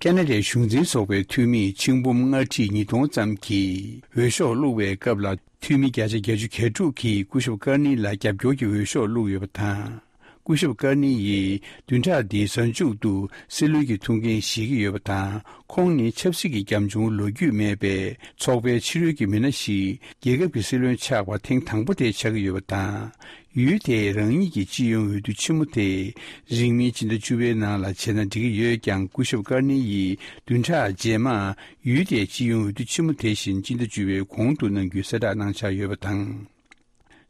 ཁ་ན་ཌའི་གཞུང་འཛིན་ཚོགས་པའི་འཐུས་མི་ཆིང་འབུམ་ལྔ་ཁྲི་ཉིས་སྟོང་ཙམ་གྱིས་འོས་ཤོག་བླུགས་པའི་སྐབས་ལ། འཐུས་མི་བརྒྱ་ཆ་བརྒྱད་ཅུ་གྱ་དྲུག་གིས་སྐུ་ཞབས་ཀར་ནི་ལ་རྒྱབ་སྐྱོར་གྱི་འོས་ཤོག་བླུགས་ཡོད་པ་དང་། སྐུ་ཞབས་ཀར་ནི་ཡིས་བདུན་ཕྲག་འདིའི་གཟའ་མཇུག་ཏུ་སྲིད་བློན་གྱི་ཐུགས་འགན་བཞེས་ཀྱི་ཡོད་པ་དང་། ཁོང་ནི་ཆབ་སྲིད་ཀྱི་རྒྱབ་ལྗོངས་ལོ་རྒྱུས་མེད་པའི་ཚོགས་པའི་ཕྱི་རོལ་གྱི་མི་སྣ་ཞིག་རྒྱལ་ཁབ་ཀྱི་སྲིད་བློན་ཆགས་པ་ཐེངས་དང་པོ་དེ་ཆགས་ཀྱི་ཡོད་པ་དང་། ཡུལ་དེའི་རང་ཉིད་ཀྱི་སྤྱི་ཡོངས་འོས་བསྡུ་ཆེན་མོ་དེ་རིང་མིན་སྤྱི་ཟླ་བཅུ་པའི་ནང་ལ་བྱས་ན་འགྲིག་གི་ཡོད་ཀྱང་། སྐུ་ཞབས་ཀར་ནི་ཡིས་བདུན་ཕྲག་རྗེས་མར་ཡུལ་དེའི་སྤྱི་ཡོངས་འོས་བསྡུ་ཆེན་མོ་དེ་བཞིན་སྤྱི་ཟླ་བཅུ་པའི་གོང་དུ་གནང་རྒྱུའི་གསལ་བསྒྲགས་གནང་འཆར་ཡོད་པ་དང་།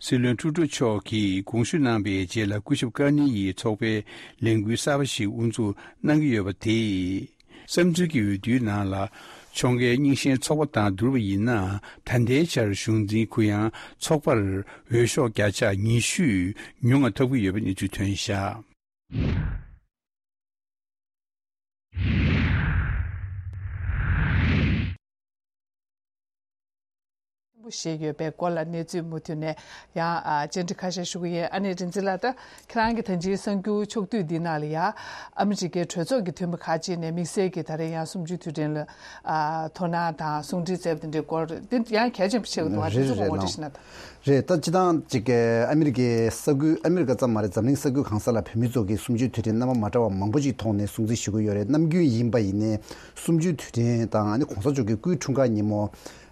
སྲིད་བློན་ཊུ་རུ་ཌོ་མཆོག་གིས་དགོངས་ཞུ་གནང་པའི་རྗེས་ལ། སྐུ་ཞབས་ཀར་ནི་ཡིས་ཚོགས་པའི་ལས་འགུལ་གསར་པ་ཞིག་དབུ་འཛུགས་གནང་གི་ཡོད་པ་དེས། བསམ་ཚུལ་གྱི་འོས་བསྡུའི་ནང་ལ་ཕྱོགས་འགལ་རྙིང་ཞེན་ཚོགས་པ་དང་བསྡུར་བ་ཡིན་ན། ད་ལྟའི་ཆར་གཞུང་འཛིན་གུ་ཡངས་ཚོགས་པར་འོས་ཤོག་བརྒྱ་ཆ་ཉི་ཤུ་ཉུང་བ་ཐོབ་ཀྱི་ཡོད་པའི་གནས་ཚུལ་ཐོན་བཞག། ཆེན་པོ་ཞིག་ཡོད་པའི་སྐོར་ལ་གནས་ཚུལ་མུ་མཐུད་ནས་ཡང་ཨ་བཅར་འདྲི་ཁ་ཤས་ཞུ་གི་ཡིན། ཨ་ནེ་རིག་འཛིན་ལགས། ད་ཁྱེད་རང་གིས་ད་ཅིའི་གསར་འགྱུར་ཕྱོགས་བསྡུས་འདི་ནང་ལ་ཡ་ཨ་མི་རི་ཀའི་གྲོས་ཚོགས་ཀྱི་འཐུས་མི་ཁག་ཅིག་ནས་དམིགས་བསལ་གྱིས་ད་རེས་ཡང་གསུམ་བཅུའི་དུས་དྲན་ལ་ཨ་དོ་སྣང་དང་གསུང་འཕྲིན་བསྩལ་བ་དེ་འདྲའི་སྐོར་འདི་ཡང་གལ་ཆེན་པོ་ཆགས་འདུག་བ། དེ་ཚོ་ཡང་འགྲེལ་བཤད་ཅིག་གནང་དང་། རེད། ད་སྤྱིར་བཏང་ཅིག་ཨ་མི་རི་ཀའི་ས་ཁུལ། ཨ་མི་རི་ཀ་ཙམ་མ་རེད། འཛམ་གླིང་ས་ཁུལ་གང་ས་ལ་བོད་མི་ཚོ་གིས་གསུམ་བཅུའི་དུས་དྲན་རྣམ་པ་མ་འདྲ་བ་མང་པོ་ཅིག་ཐོག་ནས་སྲུང་བརྩི་ཞུ་གི་ཡོད་རེད། ནམ་རྒྱུན་ཡིན་པ་ཡིན་ནའི་གསུམ་བཅུའི་དུས་དྲན་དང་། ཨ་ནི་གོང་ས་མཆོག་གི་སྐུའི་འཁྲུངས་སྐར་ཉིན་མོ།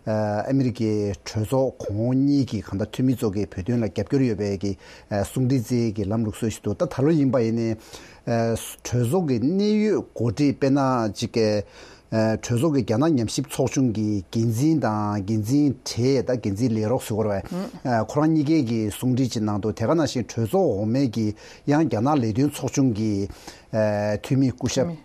ཨ་མི་རི་ཀའི་གྲོས་ཚོགས་གོང་འོག་གཉིས་ཀྱི་གང་ལྟར་འཐུས་མི་ཚོ་གིས་བོད་དོན་ལ་རྒྱབ་སྐྱོར་ཡོད་པའི་གི་ཨ་གསུང་འཕྲིན་བསྩལ་གྱི་ལམ་ལུགས་སྲོལ་ཞིག་འདུག། ད་ད་ལོ་ཡིན་པ་ཡིན་ནའི་ཨ་གྲོས་ཚོགས་ཀྱི་གནད་ཡོད་འགོ་ཁྲིད། དཔེར་ན་ཅིག་གི་ཨ་གྲོས་ཚོགས་ཀྱི་རྒྱ་ནག་ཉམས་ཞིབ་ཚོགས་ཆུང་གི་འགན་འཛིན་དང་། འགན་འཛིན་གྲས་དང་། འགན་འཛིན་ལས་རོགས་ཟེར་དགོས་རེད་པས། ཨ་ཁོ་རང་གཉིས་ཀའི་གི་གསུང་འཕྲིན་ཅིག་གནང་འདུག། དེ་ག་ནང་བཞིན་གྲོས་ཚོགས་འོག་མའི་གི་ཡང་རྒྱ་ནག་ལས་དོན་ཚོགས་ཆུང་གི་ཨ་འཐུས་མི་སྐུ་ཞབས།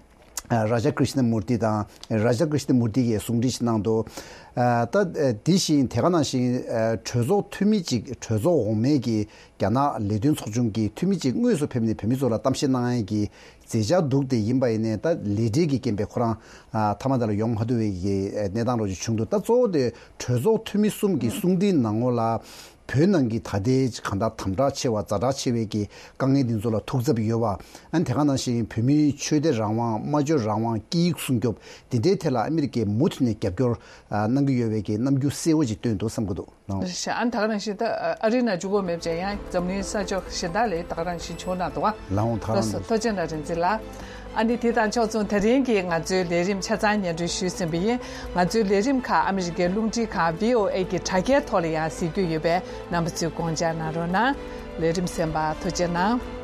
ཨ་རཱ་ཇ་ཀྲི་ཤ་ན་མུར་ཏི་དང་། རཱ་ཇ་ཀྲི་ཤ་ན་མུར་ཏི་གིས་གསུང་འཕྲིན་ཞིག་གནང་འདུག། ཨ་ད་ཨ་དེ་བཞིན་དེ་ག་ནང་བཞིན་ཨ་གྲོས་ཚོགས་འཐུས་མི་གཅིག། གྲོས་ཚོགས་འོག་མའི་གི་རྒྱ་ནག་ལས་དོན་ཚོགས་ཆུང་གི་འཐུས་མི་གཅིག་དངོས་སུ་ཕེབས་ནས་བོད་མི་ཚོ་ལ་གཏམ་བཤད་གནང་ཡས་ཀྱི་མཛད་འཆར་འདུག། དེ་ཡིན་པ་ཡིན་ནའི་ད་ལས་བྲེལ་གྱི་རྐྱེན་པས་ཁོ་རང་ཨ་མཐའ་མ་དེ་ལ་ཡོང་མ་ཐུབ་པའི་གི་ཨ་གནས་སྟངས་རོགས་ཅིག་བྱུང་འདུག། ད་གཙོ་བོ་དེ་གྲོས་ཚོགས་འཐུས་མི་གསུམ་གྱི་གསུང་འཕྲིན་ནང་ལོགས་ལ། བོད་ནང་གི་ད་ལྟའི་གང་ལྟར་དམ་དྲག་ཆེ་བ། ཛ་དྲག་ཆེ་བའི་གི་དཀའ་ངལ་འདི་ཚོ་ལ་ཐུགས་འཚབ་ཡོད་པ། ཨ་ནི་དེ་ག་ནང་བཞིན་བོད་མིའི་ཆོས་དད་རང་དབང་། སྨྲ་བརྗོད་རང་དབང་། སྐད་ཡིག་སྲུང་སྐྱོབ། འདི་འདྲའི་ཐད་ལ་ཨ་མི་རི་ཀས་མུ་མཐུད་ནས་རྒྱབ་སྐྱོར་ཨ་གནང་གི་ཡོད་པའི་གི་རྣམ་འགྱུར་གསལ་བོ་ཅིག་སྟོན་འདུག་བསམ་གྱི་འདུག། ལགས། རེད་ཤག། ཨ་ནི་ད་ག་ནང་བཞིན་ད་ཨ་རིའི་ནང་འཇུག་སྒོ་མེད་པ་ཅིག་ཡང་འཛམ་གླིང་ས་ཕྱོགས་གཞན་དག་ལ་ད་ག་རང་བཞིན་བྱུང་གནང་འདུག་བ། ལགས་འོང་། ད་ག་རང་། ལགས་སོ། ཐུགས་རྗེ་གནང་། རིག་འཛིན་ལགས། ཨ་ནི་དེ་དང་ཕྱོགས་མཚུངས་དེ་རིང་གི་ང་ཚོའི་ལས་རིམ་ཆ་ཚང་སྙན་སྒྲོན་ཞུས་ཟིན་པ་ཡིན། ང་ཚོའི་ལས་རིམ་ཁག་ཨ་མི་རི་ཀའི་རླུང་འཕྲིན་ཁང་བྷི་ཨོ་ཨེ་གི་དྲ་རྒྱའི་ཐོག་ལ་ཡང་གཟིགས་རྒྱུ་ཡོད་པས། རྣམ་པ་ཚོས་དགོངས་འཇགས་གནང་རོགས་གནང་། ལས་རིམ་གསན་པར་ཐུགས་རྗེ་གནང་།